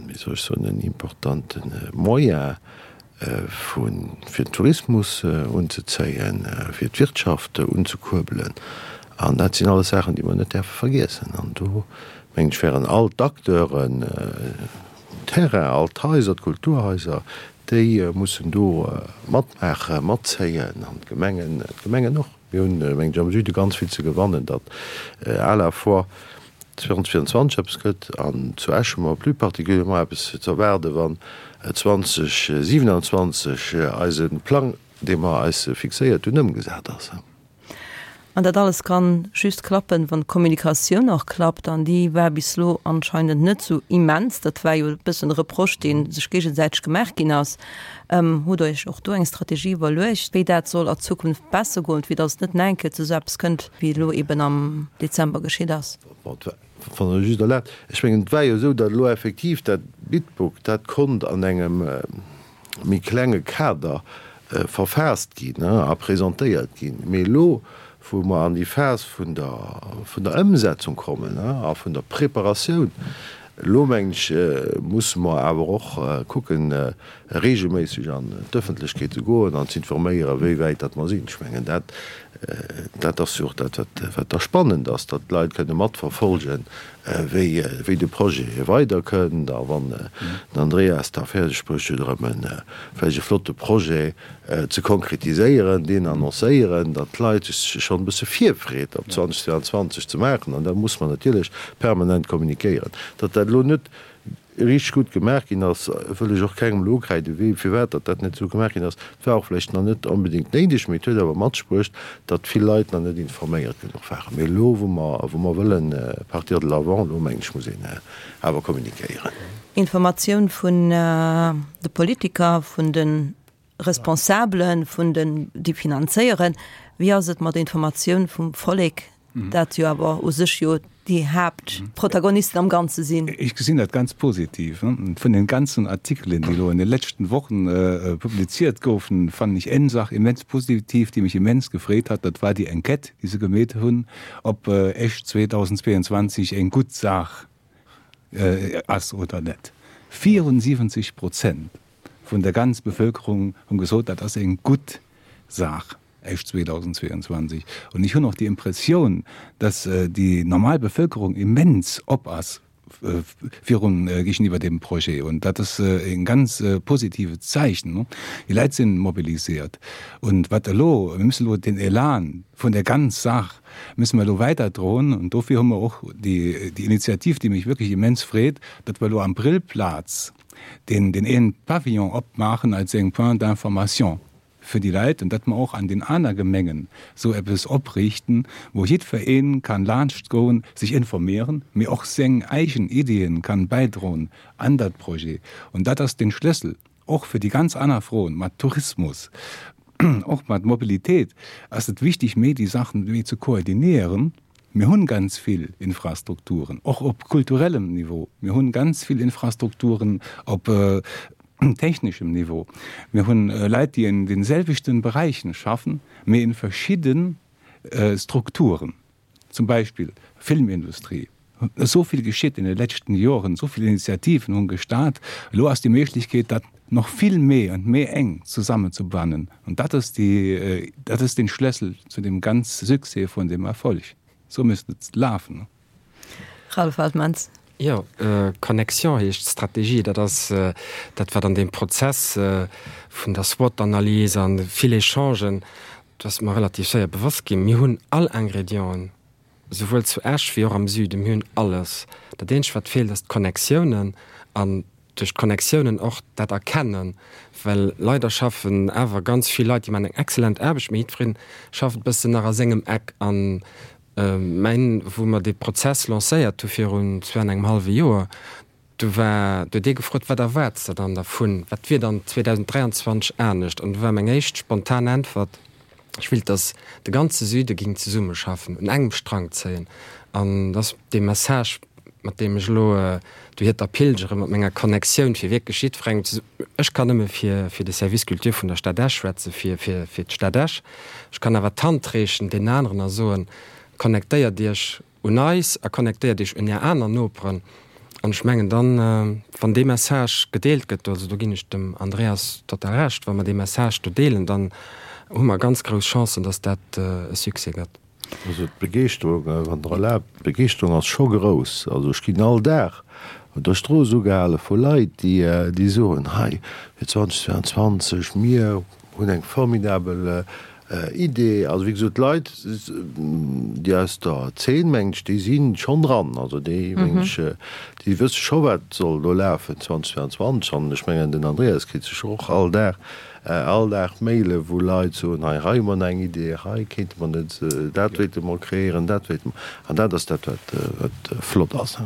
wéi soll ech soen, en importante Moyen vu fir den Tourismus unzezéien, fir d'Wirtschaft unzekuerbelen. An dat sinn alles Saachen, déi mer net däerfe vergiessen. An do, mengen ech, wären all d'Acteuren um Terrain, all d'Haiser, d'Kulturhaiser, déi mussen do matmaachen, matzéien, an d'Gemengen, d'Gemengen och. Mir hunn, mengen ech, am Süde ganz vill ze gewannen, datt à la fois zweitausendzweiundzwanzeg eppes gëtt an zu Esch hu mer plus particulièrement eppes ze erwaarden, wann zweitausendsiebenundzwanzig eise Plang, dee mer eis fixéiert hunn, ëmgesat ass. An dat alles kann just klappen, wann d'Kommunikatioun och klappt, an déi war bis elo anscheinend net sou immens. Dat war jo e bëssen e Reproche, dee sech géigesäiteg gemaach ginn ass. Hutt Der Iech och do eng Strategie iwwerluecht, wéi dat soll a Zukunft besser goen, fir datt et net nach eng Kéier zu esou eppes kënnt, wéi elo eben am Dezember geschitt ass? Wann Der just erlaabt, ech mengen, et war jo esou, datt elo effektiv dat Bitbook, dat konnt an engem méi klenge Kader verfaasst ginn a presentéiert ginn. Mee elo, wou mer an déi Phas vun der, vun der Ëmsetzung kommen a vun der Preparatioun, elo, mengen ech, musse mer awer och kucken, regelméisseg an d'Ëffentlechkeet ze goen an ze informéieren, wéi wäit datt mer sinn. Ech mengen, dat, dat ass jo och dat, wat, wat da spannend ass, datt d'Leit kënne matverfolgen, wéi, wéi de Projet weiderkënnt a wann den Andreas da fäerdeg bruecht huet, erëm e vläicht e flotte Projet ze konkretiséieren, deen annoncéieren, datt d'Leit sech schonn e bësse Virfreed op zweitausendzweiundzwanzig ze maachen. An da muss mer natierlech permanent kommunikéieren. Datt dat elo net richteg gutt gemaach ginn ass, wëll ech och kengem elo ukräiden, wéi, firwat datt dat net esou gemaach ginn ass. Et war och vläicht nach net onbedéngt néideg, mee et huet awer mat sech bruecht, datt vill Leit nach net informéiert genuch waren. Mee elo, wou mer, wou mer wëllen partir de l'avant, elo mengen ech, muss een awer kommunikéieren. Informatioun vun de Politiker, vun de Responsabelen, vun den, déi finanzéieren. Wéi ass et mat der Informatioun vum Vollek, dat jo awer u sech jo déi Haaptprotagonisten am Ganze sinn? Ech gesinn dat ganz positiv. Vun den ganzen Artikelen, déi elo an de leschten Wochen publiziert goufen, fannen ech eng Saach immens positiv, déi mech immens gefreet hat, dat war déi Enquête, déi se gemeet hunn, ob Esch zweitausendzweiundzwanzig eng gutt Saach ass oder net. vierundsiebzig Prozent vun der ganz Bevölkerung hunn gesot, dat ass eng gutt Saach, Esch zweitausendzweiundzwanzig. Und ich hunn och déi Impressioun, dass déi normal Bevölkerung immens op ass virun géigeniwwer deem Projet. Und dat ass e ganz positivet Zeichen. Déi Leit sinn mobilisiert. Und wat elo, mir müssen elo den Elan vun der ganz Saach müssen mer elo weiterdroen. Und dofir hu mer och déi, déi Initiativ, déi mech wierklech immens freet, datt mer elo am Brillplaz den, den een Pavillon opmaachen als eng Point d'information fir déi Leit an datt mer och an den aner Gemengen esou eppes opriichten, wou jiddwereen kann laanscht goen, sech informéieren, mee och seng eigen Iddien kann bäidroen an dat Projet. Und dat ass den Schlëssel och fir déi ganz aner Froen mat Tourismus, och mat Mobilitéit ass et wichtig, méi déi Saachen méi ze koordinieren. Mir hunn ganz vill Infrastrukturen, och op kulturellem Niveau. Mir hunn ganz vill Infrastrukturen op techneschem Niveau. Mir hunn Leit, déi in den selwechten Bereichen schaffen, mee in verschidden Strukturen, zum Beispill Filmindustrie. Esou vill geschitt in de leschten Joren, esou vill Initiativen hunn gestart. Elo ass déi Méiglechkeet, dat nach vill méi an méi eng zusammenzubannen. Und dat ass déi, dat ass den Schlëssel zu dem ganz Succès vun dem Erfolg. Esou misst et lafen. Ralph Altmans. Jo, Connexion heescht d'Strategie. Dat ass dat, wat an deem Prozess vun der SWOT-Analys an vill Echangen, do ass mer relativ séier bewosst ginn, mir hunn all Ingredienten, souwuel zu Esch wéi och am Süden, mir hunn alles. Dat eenzegt, wat feelt, ass d'Connectiounen an duerch d'Connectiounen och dat Erkennen, well leider schaffen awer ganz vill Leit, déi maachen eng excellent Aarbecht, mee jiddweree schafft e bëssen nach a sengem Eck. An mäin, wou mer dee Prozess lancéiert hu virun zwee an engem hallwe Joer, do war, do huet ee gefrot, Wat erwaarts de dann dervun? Wat wier dann zweedausend dräianzwanzeg anescht? An do war meng éischt spontan Äntwert, Ech wéilt, datt de ganze Süde géing zesummeschaffen, un engem Strang zéien. An dat ass dee Message, mat deem ech elo dohierter pilgere mat menger Connectioun, fir wierklech jiddwerengem ze. Ech kann nëmme fir fir de Service Culture vun der Stad Esch schwätzen, fir fir fir d'Stad Esch. Ech kann awer d'Hand reechen deenen aneren a soen, Connectéiert Iech un eis a connectéiert Iech un Är aner Noperen. An ech mengen dann, wann dee Message gedeelt gëtt, also do ginn ech dem Andreas total Recht, wa mer dee Message do deelen, dann hu mer ganz grouss Chancen, dass dat e Succès gëtt. Also d'Begeeschterung, wann Der erlaabt, d'Begeeschterung ass scho grouss. Also ech ginn all Dag op der Strooss ugehale vu Leit, déi, déi soen, hei fir zweedausend zweianzwanzeg, mir hunn eng formidabel Idee. Also wéi gesot, d'Leit, déi aus der Zeen, mengen ech, déi si schonn dran. Also déi, mengen ech, déi wësse scho wat soll do lafen zweedausend zweianzwanzeg. An ech mengen, den Andreas kritt sécher och all Dag, all Dag Maile wou Leit soen, hei, hei hu mer nach eng Idee, hei kéinte mer net, dat wéilte mer kreéieren, dat wéilte mer. An dat ass dat, wat, wat flott ass.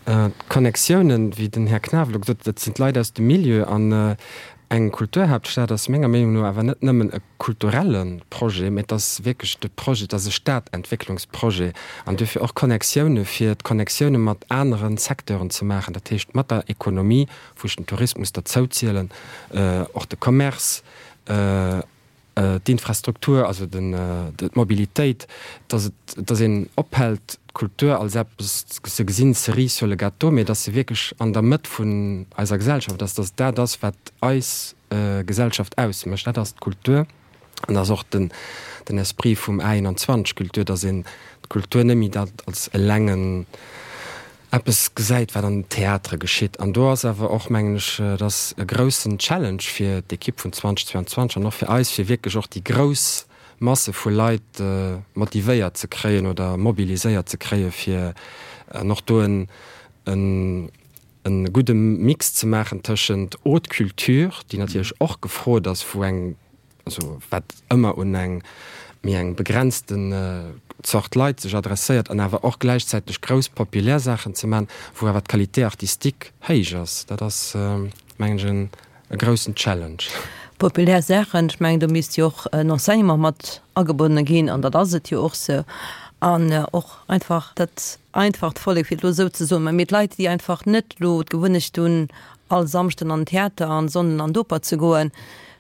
D'Connectiounen, wéi den Här Knaff elo gesot huet, dat sinn d'Leit aus dem Milieu. An eng Kulturhaaptstad ass menger Meenung no awer net nëmmen e kulturelle Projet, mä et ass wierklech de Projet, et ass e Stadentwécklungsprojet. An duerfir och Connectioune fir d'Connectioune mat anere Secteuren ze maachen, dat heescht mat der Ekonomie, wou ech den Tourismus derzouzielen, och de Commerce, d'Infrastruktur, also d'Mobilitéit, dass et, dass een ophält d'Kultur als eppes ze gesinn, cerise sur le gâteau, mee dass se wierklech an der Mëtt vun eiser Gesellschaft ass, dass dat ass, wat eis Gesellschaft ausmécht, dat ass d'Kultur. An dat ass och den, den Esprit vum A einundzwanzeg Kultur, dass een d'Kultur net méi dat als elengen eppes gesäit, wat an den Theatere geschitt. An do ass awer och, mengen ech, et ass e groussen Challenge fir d'Ekipp vun zweedausend zweianzwanzeg an och fir eis, fir wierklech och déi grouss Masse vu Leit motivéiert ze kréien oder mobiliséiert ze kréien, fir an och do en e gudde Mix ze maachen tëschent Haute Culture, déi natierlech och gefrot ass, wou eng, also wat ëmmer un eng méi eng begrenzten Zort Leit sech adresséiert, an awer och gläichzäiteg grouss populär Saachen ze maachen, wou awer d'Qualité artistique héich ass. Dat ass, mengen ech, en e groussen Challenge. Populär Saachen, ech mengen, do misst jo och en Enseignement mat agebonne ginn, an dat ass et jo och sou, an och einfach dat einfacht Vollek, fir et elo esou ze soen, mä mee d'Leit, déi einfach net elo d'Gewunnecht hunn, all Samschden an den Theater an Sonnden an d'Oper ze goen,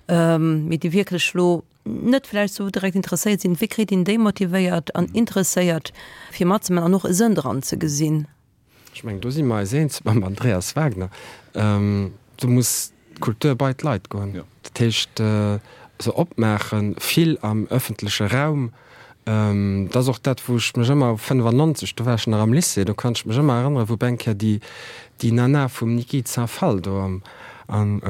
mee déi wierklech elo net vläicht sou direkt interesséiert sinn, wéi kritt een déi motivéiert an interesséiert, fir matzemaachen an och e Sënn dran ze gesinn? Ech mengen, do si mer eis eens mam Andreas Wagner. Do muss d'Kultur bei d'Leit goen. Dat heescht, se opmaachen, vill am ëffentleche Raum. Dat ass och dat, wou ech mech ëmmer, fënnefannonzeg, do war ech nach am Lycée, do kann ech mech ëmmer erënneren, wou op eng Kéier déi, déi Nana vum Niki de Saint Phalle do am, am,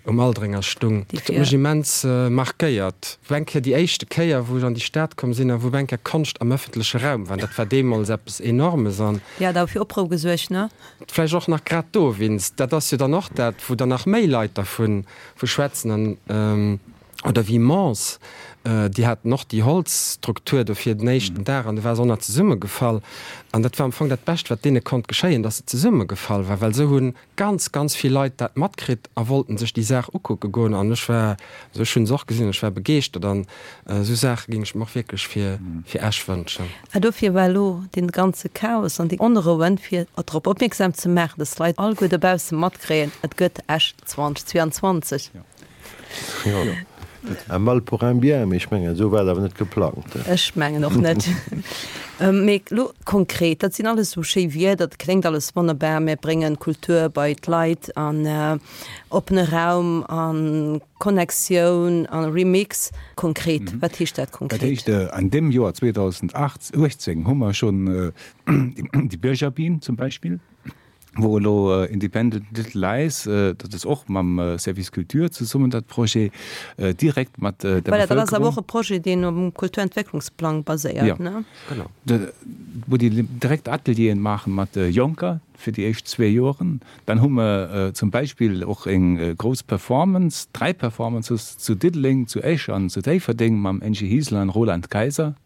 um Aldringer stung. Dat huet mech immens markéiert. Wou eng Kéier déi éischte Kéier, wou ech an déi Stad komm sinn a wou op eng Kéier Konscht am ëffentleche Raum war, dat war deemools eppes Enormes an. Déi hat awer fir Oprou gesuergt, ne? Vläicht och nach grad dowéinst. Dat ass jo dann och dat, wou dann nach méi Leit dervu vu schwätzen. An Oder wéi Mons, déi haten och déi Holzstruktur do fir den éischten Dag an du war se och nach zesummegefall. An dat war am Fong dat Bescht, wat deene konnt geschéien, datt se zesummegefall war, well esou hu ganz, ganz vill Leit dat matkritt a wollten sech déi Saach ukucke goen. An ech war, also ech hu se och gesinn, ech war begeeschtert an esou Saache géing ech mer och wierklech fir, fir Esch wënschen. A dofir war elo dee ganze Chaos an déi Onrouen, fir drop opmierksam ze maachen, datt d'Leit alleguer dobausse matkréien, et gëtt Esch zweitausendzweiundzwanzeg. Jo. Un mal pour un bien, mee ech mengen, esou war et awer net geplangt. Ech mengen och net. Mee elo konkret, dat sinn alles esou schéi Wierder, dat kléngt alles wonnerbar, mir bréngen Kultur bei d'Leit an oppene Raum a Connectioun a Remix. Konkret, wat heescht dat konkret? Dat heescht, an deem Joer zweedausendachtzéng hu mer schonn déi Bürgerbühn zum Beispill, wou elo Independent Little Lies, dat ass och mam Service Culture zesummen dat Projet, direkt mat der Voilà, dat ass awer Bevölkerung. och e Projet, deen um Kulturentwécklungsplang baséiert, ne? Genau. Wou déi direkt Atelieren maache mat Jonker fir déi éischt zwee Joren. Dann hu mer zum Beispill och eng grouss Performance, dräi Performances zu Diddeleng, zu Esch an zu Déifferdeng mam Angie Hiesler an Roland Kaiser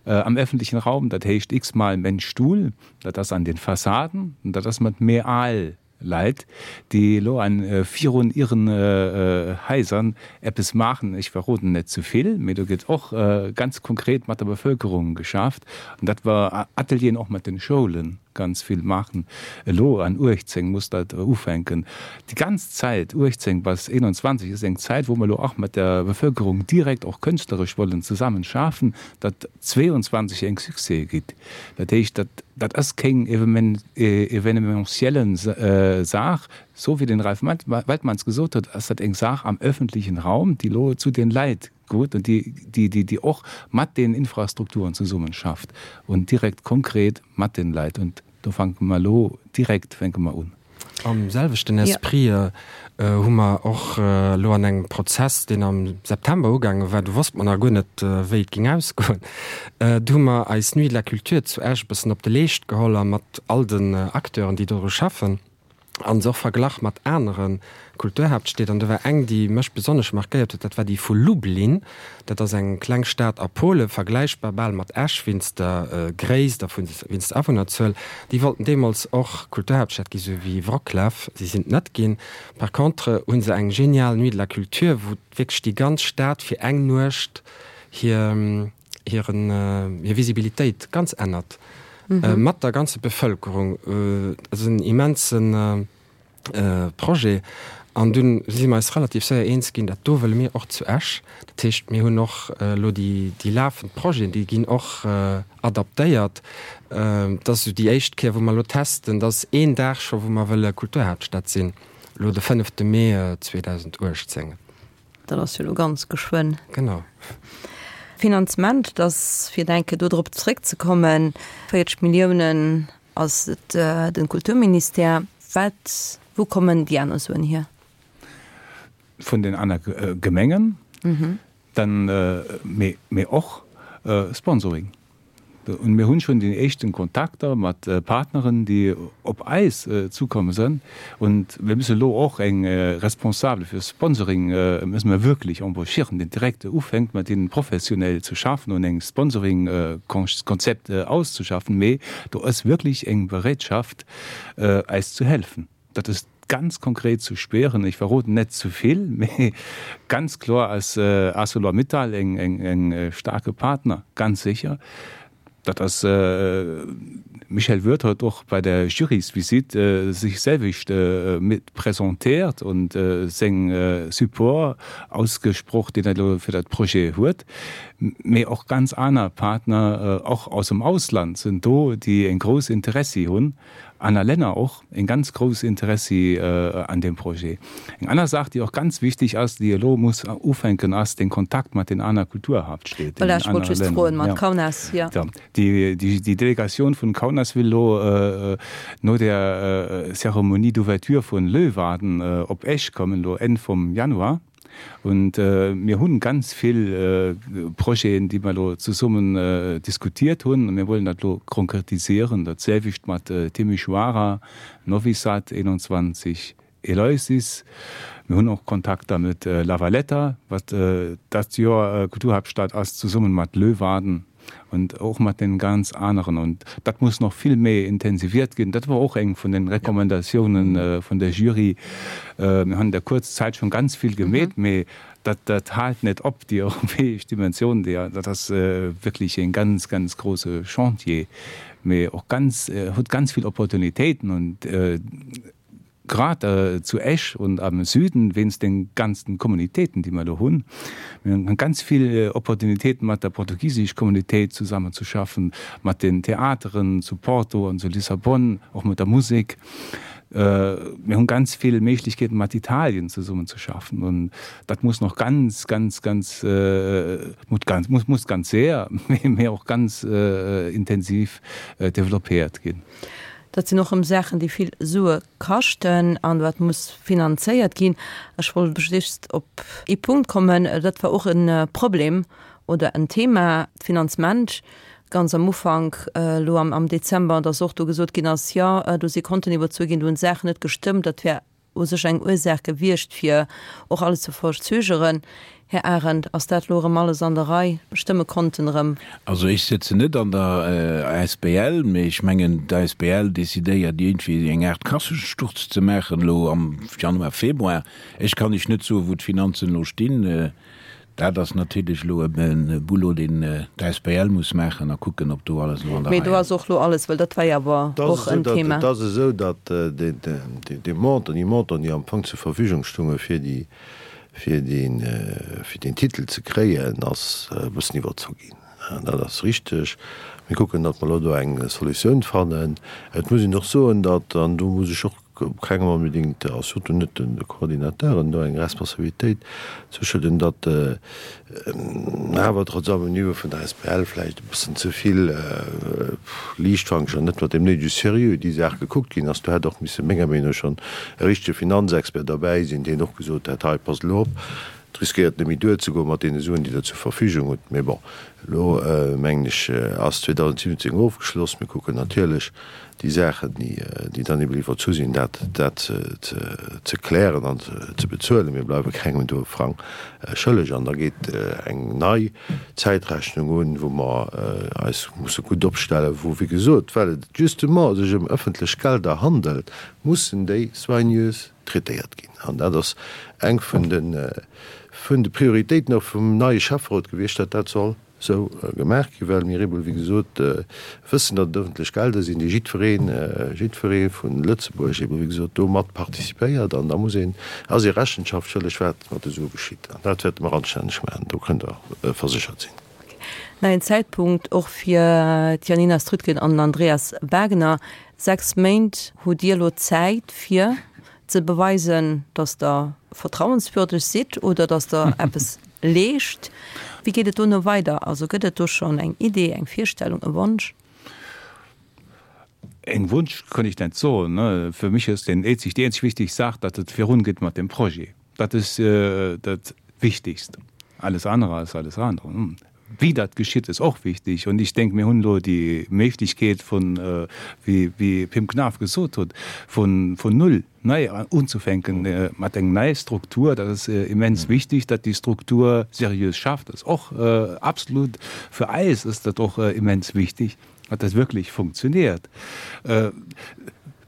am öffentlichen Raum, dat heescht x-mal Mensch Stuhl, dat ass an den Fassaden an dat ass mat méi al Leit, déi elo an virun ihren Haiser eppes maachen. Ech verroden net ze vill, mee do gëtt och ganz konkret mat der Bevölkerung geschafft an dat war Atelieren och mat den Schoulen ganz vill maachen. Elo an uechtzéng muss dat ufänken. Déi ganz Zäit uechtzéng bis eenanzwanzeg ass eng Zäit, wou mer elo och mat der Bevölkerung direkt och kënschtleresch wollen zesammen schafen, datt zweeanzwanzeg eng Succès gitt. Dat heescht, dat dat ass keng evenementielle Saach, esou wéi den Ralph Waltmanns gesot huet, ass dat eng Saach am öffentlichen Raum, déi elo zu den Leit goot an déi déi déi och mat den Infrastrukturen zesummen schafft und direkt konkret mat den Leit. Und do fänke mer elo direkt fänke mer un. Am selwechten Esprit hu mer och elo an engem Prozess, deen am September ugaange war, do wosst mer nach guer net, wéi et géing ausgoen, do hu mer eis Nuit de la Culture zu Esch e bëssen op de Leescht geholl a mat all den Acteuren, déi doru schaffen, a se och verglach mat anere Kulturhaaptstied. An do war eng, déi mech besonnesch markéiert huet, dat war déi vu Lublin. Dat ass eng kleng Stad a Polen, vergläichbar bal mat Esch wéinst der Gréisst a wéinst der Awunnerzuel. Déi wollten deemools och Kulturhaaptstad gi sou wéi Wroclaw. Si sinn et net ginn. Par contre hu se eng genial Nuit de la Culture, wou wierklech déi ganz Stad fir eng Nuecht hir hiren hir Visibilitéit ganz ännert mat der ganzer Bevëlkerung. Dat ass en immense Projet an dunn si mer eis relativ séier eens ginn, dat do wëlle mir och zu Esch. Dat heescht, mir hunn och elo déi déi lafend Projeten, déi ginn och adaptéiert. Dat ass esou déi éischt Kéier, wou mer elo testen, dat ass een Dag scho wou mer wëlle Kulturhaaptstad sinn, elo de fënnefte Mee zweedausenduechtzéng. Dat ass jo elo ganz geschwënn. Genau. Finanzement, dat ass, fir eng Kéier do drop zréckzekommen, véierzeg Milliounen ass et de Kulturministère. Wat, wou kommen déi aner Suen hier? Vun den aner Gemengen, dann, mee, mee och Sponsoring. Und mir hunn schonn déi éischten Kontakter mat Partneren, déi op eis zukomme sënn. Und mir müssen elo och eng Responsable fir Sponsoring müssen mer wierklech embauchieren, deen direkt ufänkt mat hinnen professionell ze schaffen und eng Sponsoring-Konzept auszuschaffen. Mee do ass wierklech eng Bereetschaft eis zu helfen. Dat ass ganz konkret zu spieren. Ech verroden net ze vill, mee ganz kloer ass Arcelor-Mittal eng eng starke Partner, ganz sécher. Dat ass Michel Würth huet och bei der Jurysvisite sech selwecht mit presentéiert und seng Support ausgesproch, deen e elo fir dat Projet huet. Mee och ganz aner Partner, och aus dem Ausland, sinn do, déi en grouss Interessi hunn, aner Länner och en ganz grouss Interessi an deem Projet. Eng aner Saach, déi och ganz wichtig ass, déi elo muss ufänken, ass den Kontakt mat den aner Kulturhauptstädten, Voilà, ech wollt just froen, mat Kaunas, jo. Déi, déi Delegatioun vun Kaunas will elo no der Cérémonie d'ouverture vun Leeuwarden op Esch kommen, elo Enn vum Januar. Und mir hunn ganz vill Projeten, déi mer elo zesummen diskutiert hunn, a mir wollen dat elo konkretisieren. Dat selwecht mat Timișoara, Novi Sad, einundzwanzig, Eleusis. Mir hunn och Kontakter mat La Valletta, wat dat Joer Kulturhauptstad ass, zesummen mat Leeuwarden und och mat den ganz aneren. Und dat muss nach vill méi intensiviert ginn. Dat war och eng vun den Recommandatiounen vun der Jury. Mir hunn an der kuerzer Zäit schonn ganz vill gemeet, mee dat dat hält net op, déi europäesch Dimensioun, déi dat ass wierklech e ganz, ganz grouse Chantier, mee och ganz huet ganz vill Opportunitéiten und grad zu Esch und am Süden wéinst den ganzen Kommunitéiten, déi mer do hunn. Mir hunn ganz vill Opportunitéiten mat der portugisesch Kommunitéit zusammen ze schaffen, mat den Theateren zu Porto an zu Lissabon, och mat der Musek. Mir hunn ganz vill Méiglechkeeten mat Italien zesummen ze schaffen und dat muss noch ganz, ganz, ganz, muss ganz, muss ganz séier, mee och ganz intensiv developpéiert ginn. Dat sinn och erëm Saachen, déi vill Sue kaschten an wat muss finanzéiert ginn. Ech wollt just op ee Punkt kommen, dat war och e Problem oder en Thema, d'Finanzement ganz am Ufank elo am Dezember, dass och do gesot ginn ass, jo do si Konten iwwerzu ginn, do hunn Saachen net gestëmmt, dat wär u sech eng Ursaach gewiescht, fir och alles ze verzögeren. Här Arendt, ass dat elo erëm alles an der Rei? Stëmme Konten erëm? Also ech sëtzen net an der asbl, mee ech mengen d'asbl decidéiert iergendwéi eng Aart Kassesturz ze maachen elo am Januar, Februar. Ech kann lech net soen, wou d'Finanzen elo stinn. Dat ass natierlech elo e Boulot, deen d'asbl muss maachen a kucken, ob do alles elo an der Rei ass. Mee do ass och elo alles, well dat war jo awer och en Thema. Et ass esou, datt dee Montant, déi Montanten, déi am Fong zur Verfügung stounge fir déi, fir deen, fir deen Titel ze kréien, ass e bëssen iwwerzu ginn. Dat ass richteg. Mir kucken, datt mer elo do eng Solutioun fannen. Et muss een och soen, datt, an do muss ech och kengem onbedéngt, a surtout net de Coordinateuren, do eng Responsabilitéit zouschëdden, datt awer trotz allem um Niveau vun der asbl vläicht e bëssen ze vill liichtfankeg an net mat deem néidege Sérieux déi Saach gekuckt ginn ass. Do hätt och misse menger Meenung no schonn e richtege Finanzexpert derbäi sinn, deen och gesot hätt, hei passt elo op, et riskéiert net méi duerzegoen mat deene Suen, déi Der zur Verfügung hutt. Mee bon, elo mengen ech ass zweedausendsiwwenzéng ofgeschloss. Mir kucken natierlech, déi Saachen, déi dann eben iwwerzu sinn, dat dat ze klären an ze bezuelen. Mir bleiwe kengem do e Frang schëlleg. An da geet eng nei Zäitrechnung un, wou mer eis musse gutt opstellen, wou, wéi gesot, well et justement sech ëm ëffentlech Gelder handelt, mussen déi soigneuse traitéiert ginn. An dat ass eng vun de vun de Prioritéiten och vum neie Schäfferot gewiescht, datt dat soll esou gemaach ginn, well mir eeben, wéi gesot, wëssen, datt et ëffentlech Gelder sinn, déi jiddwereen, jiddweree vu Lëtzebuerg eeben, wéi gesot, do mat participéiert. An da muss een, ass ee Rechenschaft schëlleg, wat mat de Sue geschitt. An dat wäerte mer anstänneg maachen, do kënnt Der verséchert sinn. Neien Zäitpunkt och fir d'Janina Strütgen an den Andreas Wagner. Sechs Méint hutt Dir elo Zäit, fir ze beweisen, datt Der vertrauenswürdeg sidd oder datt Der eppes leescht. Wéi geet et dono weider? Also gëtt et do schonn eng Idee, eng Virstellung, e Wonsch? En Wunsch kann ich net soen. Fir mech ass den eenzeg, déi eenzeg wichteg Saach, datt et virungeet mat dem Projet. Dat ass dat Wichtigst. Alles andere ass alles andere. Wéi dat geschitt, ass och wichtig. Und ich denke, mir hunn elo déi Méiglechkeet vun, wéi, wéi Pim Knaff gesot huet, vun, vun null nei unzufänken mat eng nei Struktur. Dat ass immens wichtig, datt déi Struktur seriös schafft. Dat ass och absolut, fir eis ass dat och immens wichtig, datt dat wierklech funktioniert.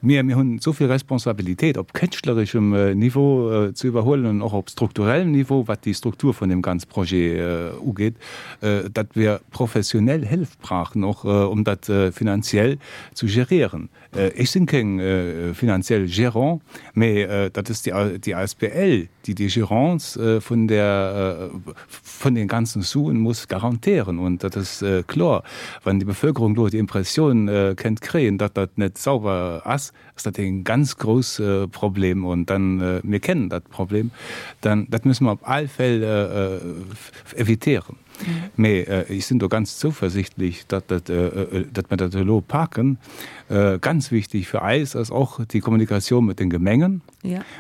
Mir, mir hunn esou vill Responsabilitéit op kënschtlereschem Niveau ze iwwerhuelen an och op strukturellem Niveau, wat déi Struktur vun deem ganz Projet ugeet, datt wir professionell Hëllef brauchen, och um dat finanziell ze gérieren. Ech sinn keng finanziell Gérant, mee dat ass déi asbl, déi déi Gérance vun der, vun den ganzen Suen muss garantieren. Und dat ass kloer, wann déi Bevölkerung do déi Impressioun kennt kréien, datt dat net sauber ass, ass dat e ganz grouss Problem. Und dann, mir kennen dat Problem, dann dat müssen mer op all Fäll évitieren. Mee ech sinn do ganz zouversichtlech, datt dat, datt mer dat elo paken. Ganz wichtig fir eis ass och déi Kommunikatioun mat den Gemengen.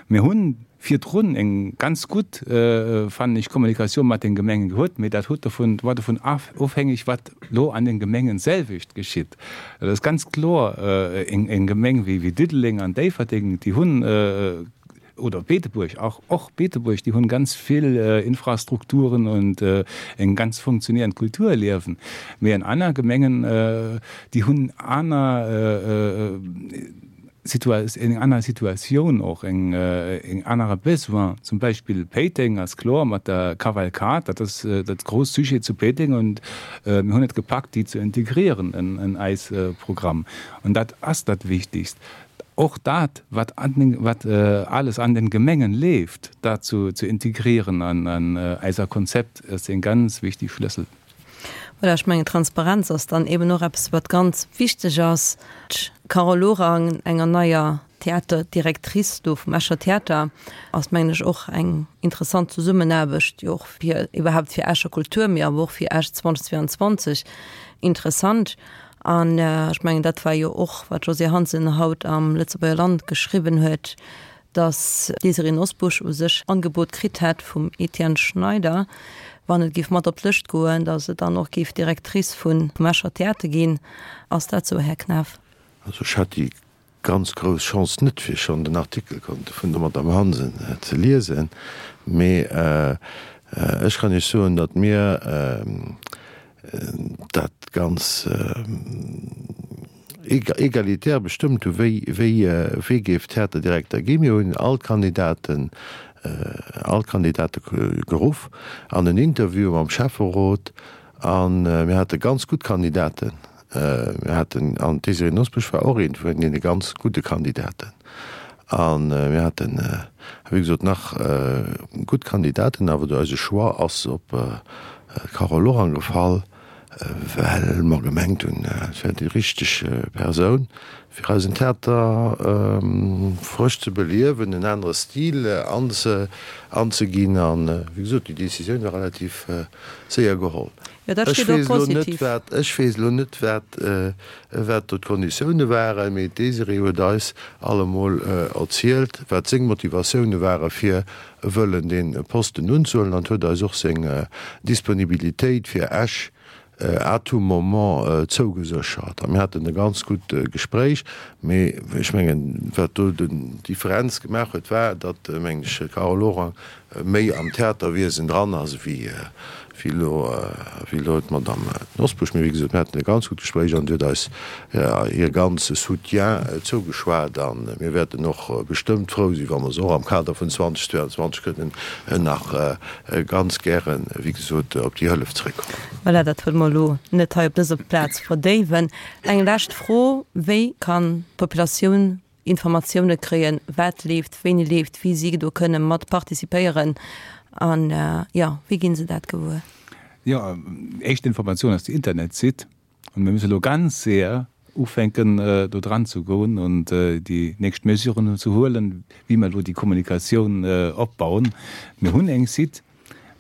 Mir hunn virdrun eng ganz gutt, fannen ech, Kommunikatioun mat den Gemengen gehuet, mee dat huet dovun, war dovun ofhängeg, wat elo an den Gemengen selwecht geschitt. Dat ass ganz kloer, eng Gemeng wéi Diddeleng an Déifferdeng, déi hunn oder Beetebuerg och, och Beetebuerg, déi hunn ganz vill Infrastrukturen und eng ganz funktionierend Kulturliewen. Mee an aner Gemengen, déi hunn aner eng aner Situatioun och, eng anere Besoin. Zum Beispill Péiteng ass kloer mat der Kavalkad, dat ass dat grousst Sujet zu Péiteng und mir hunn et gepackt, déi ze integrieren en eis Programm. Und dat ass dat Wichtigst. Och dat, wat wat alles an den Gemengen leeft, dat zu zu integrieren an an eiser Konzept, ass en ganz wichtig Schlëssel. Voilà, ech mengen, Transparenz ass dann eben och eppes, wat ganz wichteg ass. D'Carole Lorang, enger neier Theaterdirectrice do vum Escher Theater, ass, mengen ech, och eng interessant Zesummenaarbecht, déi och fir iwwerhaupt fir Escher Kultur, mee awer och fir Esch zweitausendzweiundzwanzeg interessant. An ech mengen, dat war jo och, wat d'Josée Hansen haut am Lëtzebuerger Land geschriwwen huet, datt d'Désirée Nosbusch u sech Angebot kritt hätt vum Etienne Schneider, wann et géif mat op d'Lëscht goen, datt se dann och géif Directrice vum Escher Theater ginn. Ass dat sou, Här Knaff? Also ech hat déi ganz grouss Chance net, fir schonn den Artikel konnte vun der Madame Hansen ze liesen, mee ech kann Iech soen, datt mir dat ganz egalitär bestëmmt hu wéi wéi géif Theaterdirekter ginn. Mir hunn all d'Kandidaten all d'Kandidate geruff an en Interview mam Schäfferot a mir hate ganz gutt Kandidaten. Mir haten, an d'Désirée Nosbusch war och eent vun deene ganz gudde Kandidaten. A mir haten, wéi gesot, nach gutt Kandidaten, awer do eise Choix ass op d'Carole Lorang gefall, well mer gemengt hunn, et wär déi richteg Persoun, fir eisen Theater frësch ze beliewen, en anere Stil anzeginn. A wéi gesot, déi Décisioun war relativ séier geholl. Jo, dat Ech steet och weess elo net, positiv. wat, ech weess elo net, wat, wat do d'Konditioune waren, mee d'Désirée huet eis allemol erzielt, wat seng Motivatioune ware fir wëllen dee Posten unzehuelen an huet eis och seng Disponibilitéit fir Esch à tout moment zougeséchert. A mir haten e ganz gutt Gespréich, mee ech mengen, wat do d'Differenz gemaach huet, war, datt, mengen ech, d'Carole Lorang méi am Theaterwiesen dran ass wéi wéi elo wéi elo d'Madame Nosbusch. Mee wéi gesot, mir haten e ganz gutt Gespréich an déi huet eis hir ganze Soutien zougeschwat a mir wäerten och bestëmmt frou sinn, wa mer se och am Kader vun zweitausendzweiundzwanzeg kënnen nach ganz gären, wéi gesot, op déi Hëllef zréckkommen. Voilà, dat wëlle mer elo net hei op dëser Plaz verdéiwen. Eng lescht Fro, Wéi kann d'Populatioun Informatioune kréien, wat leeft, wéini leeft, wéi si do kënne mat participéieren an, jo, wéi ginn se dat gewuer? Jo, éischt Informatioun ass déi Internetsite an mir musse elo ganz séier ufänken do dran ze goen an déi nächst Mesuren ze huelen, wéi mer elo déi Kommunikatioun opbauen. Mir hunn eng Site,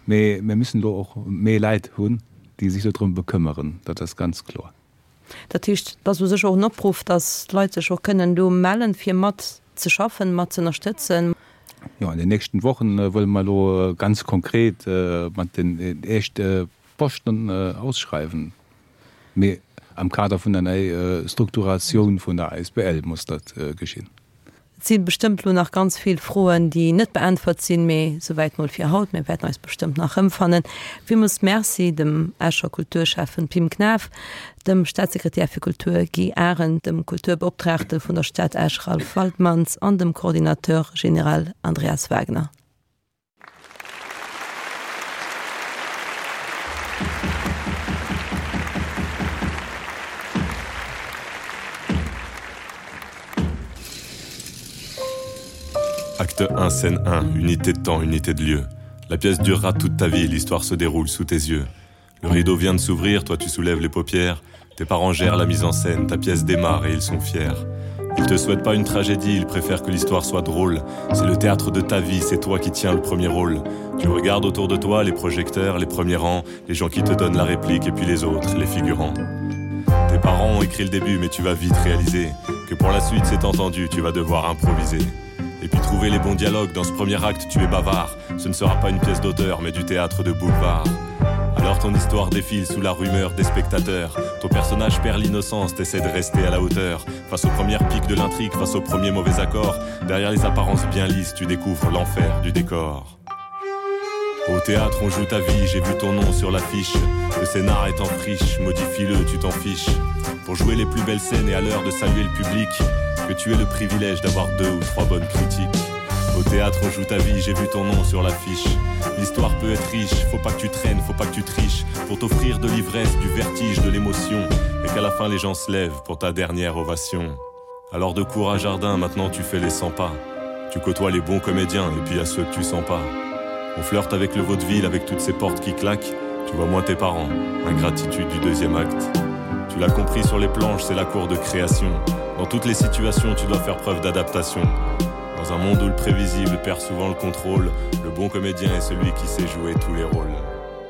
mee mir müssen elo och méi Leit hunn, déi sech do drëm bekëmmeren, dat ass ganz kloer. Dat heescht, et ass u sech och en Opruff, dass d'Leit sech och kënnen do mellen, fir mat ze schaffen, mat ze ënnerstëtzen. Jo, an den nächsten Wochen wëlle mer elo ganz konkret mat den éischte Posten ausschreiwen. Mee am Kader vun der nei Strukturatioun vun der asbl muss dat geschinn. Et si bestëmmt elo nach ganz vill Froen, déi net beäntwert sinn, mee souwäit mol fir haut. Mir wäerten eis bestëmmt nach erëmfannen. Villmools Merci dem Escher Kulturschäffen Pim Knaff, dem Staatssekretär fir Kultur Guy Arendt, dem Kulturbeoptraagte vun der Stad Esch Ralph Waltmanns an dem Coordinateur général Andreas Wagner. Acte un, scène un, unité de temps, unité de lieu. La pièce durera toute ta vie, l'histoire se déroule sous tes yeux. Le rideau vient de s'ouvrir, toi tu soulèves les paupières, tes parents gèrent la mise en scène, ta pièce démarre et ils sont fiers. Ils te souhaitent pas une tragédie, ils préfèrent que l'histoire soit drôle. C'est le théâtre de ta vie, c'est toi qui tiens le premier rôle. Tu regardes autour de toi les projecteurs, les premiers rangs, les gens qui te donnent la réplique et puis les autres, les figurants. Tes parents ont écrit le début, mais tu vas vite réaliser que pour la suite, c'est entendu, tu vas devoir improviser. Et puis trouver les bons dialogues dans ce premier acte, tu es bavard. Ce ne sera pas une pièce d'auteur, mais du théâtre de boulevard. Alors ton histoire défile sous la rumeur des spectateurs. Ton personnage perd l'innocence, t'essaies de rester à la hauteur. Face aux premières piques de l'intrigue, face aux premiers mauvais accords, derrière les apparences bien lisses, tu découvres l'enfer du décor. Au théâtre, on joue ta vie, j'ai vu ton nom sur l'affiche. Le scénar est en friche, modifie-le, tu t'en fiches. Pour jouer les plus belles scènes et à l'heure de saluer le public, que tu aies le privilège d'avoir deux ou trois bonnes critiques. Au théâtre, on joue ta vie, j'ai vu ton nom sur l'affiche. L'histoire peut être riche, faut pas que tu traînes, faut pas que tu triches, pour t'offrir de l'ivresse, du vertige, de l'émotion, et qu'à la fin les gens se lèvent pour ta dernière ovation. Alors de cour à jardin, maintenant tu fais les cent pas. Tu côtoies les bons comédiens et puis à ceux que tu sens pas. On flirte avec le vaudeville, avec toutes ces portes qui claquent. Tu vois moins tes parents, ingratitude du deuxième acte. Tu l'as compris sur les planches, c'est la cour de création. Dans toutes les situations, tu dois faire preuve d'adaptation. Dans un monde où le prévisible perd souvent le contrôle, le bon comédien est celui qui sait jouer tous les rôles.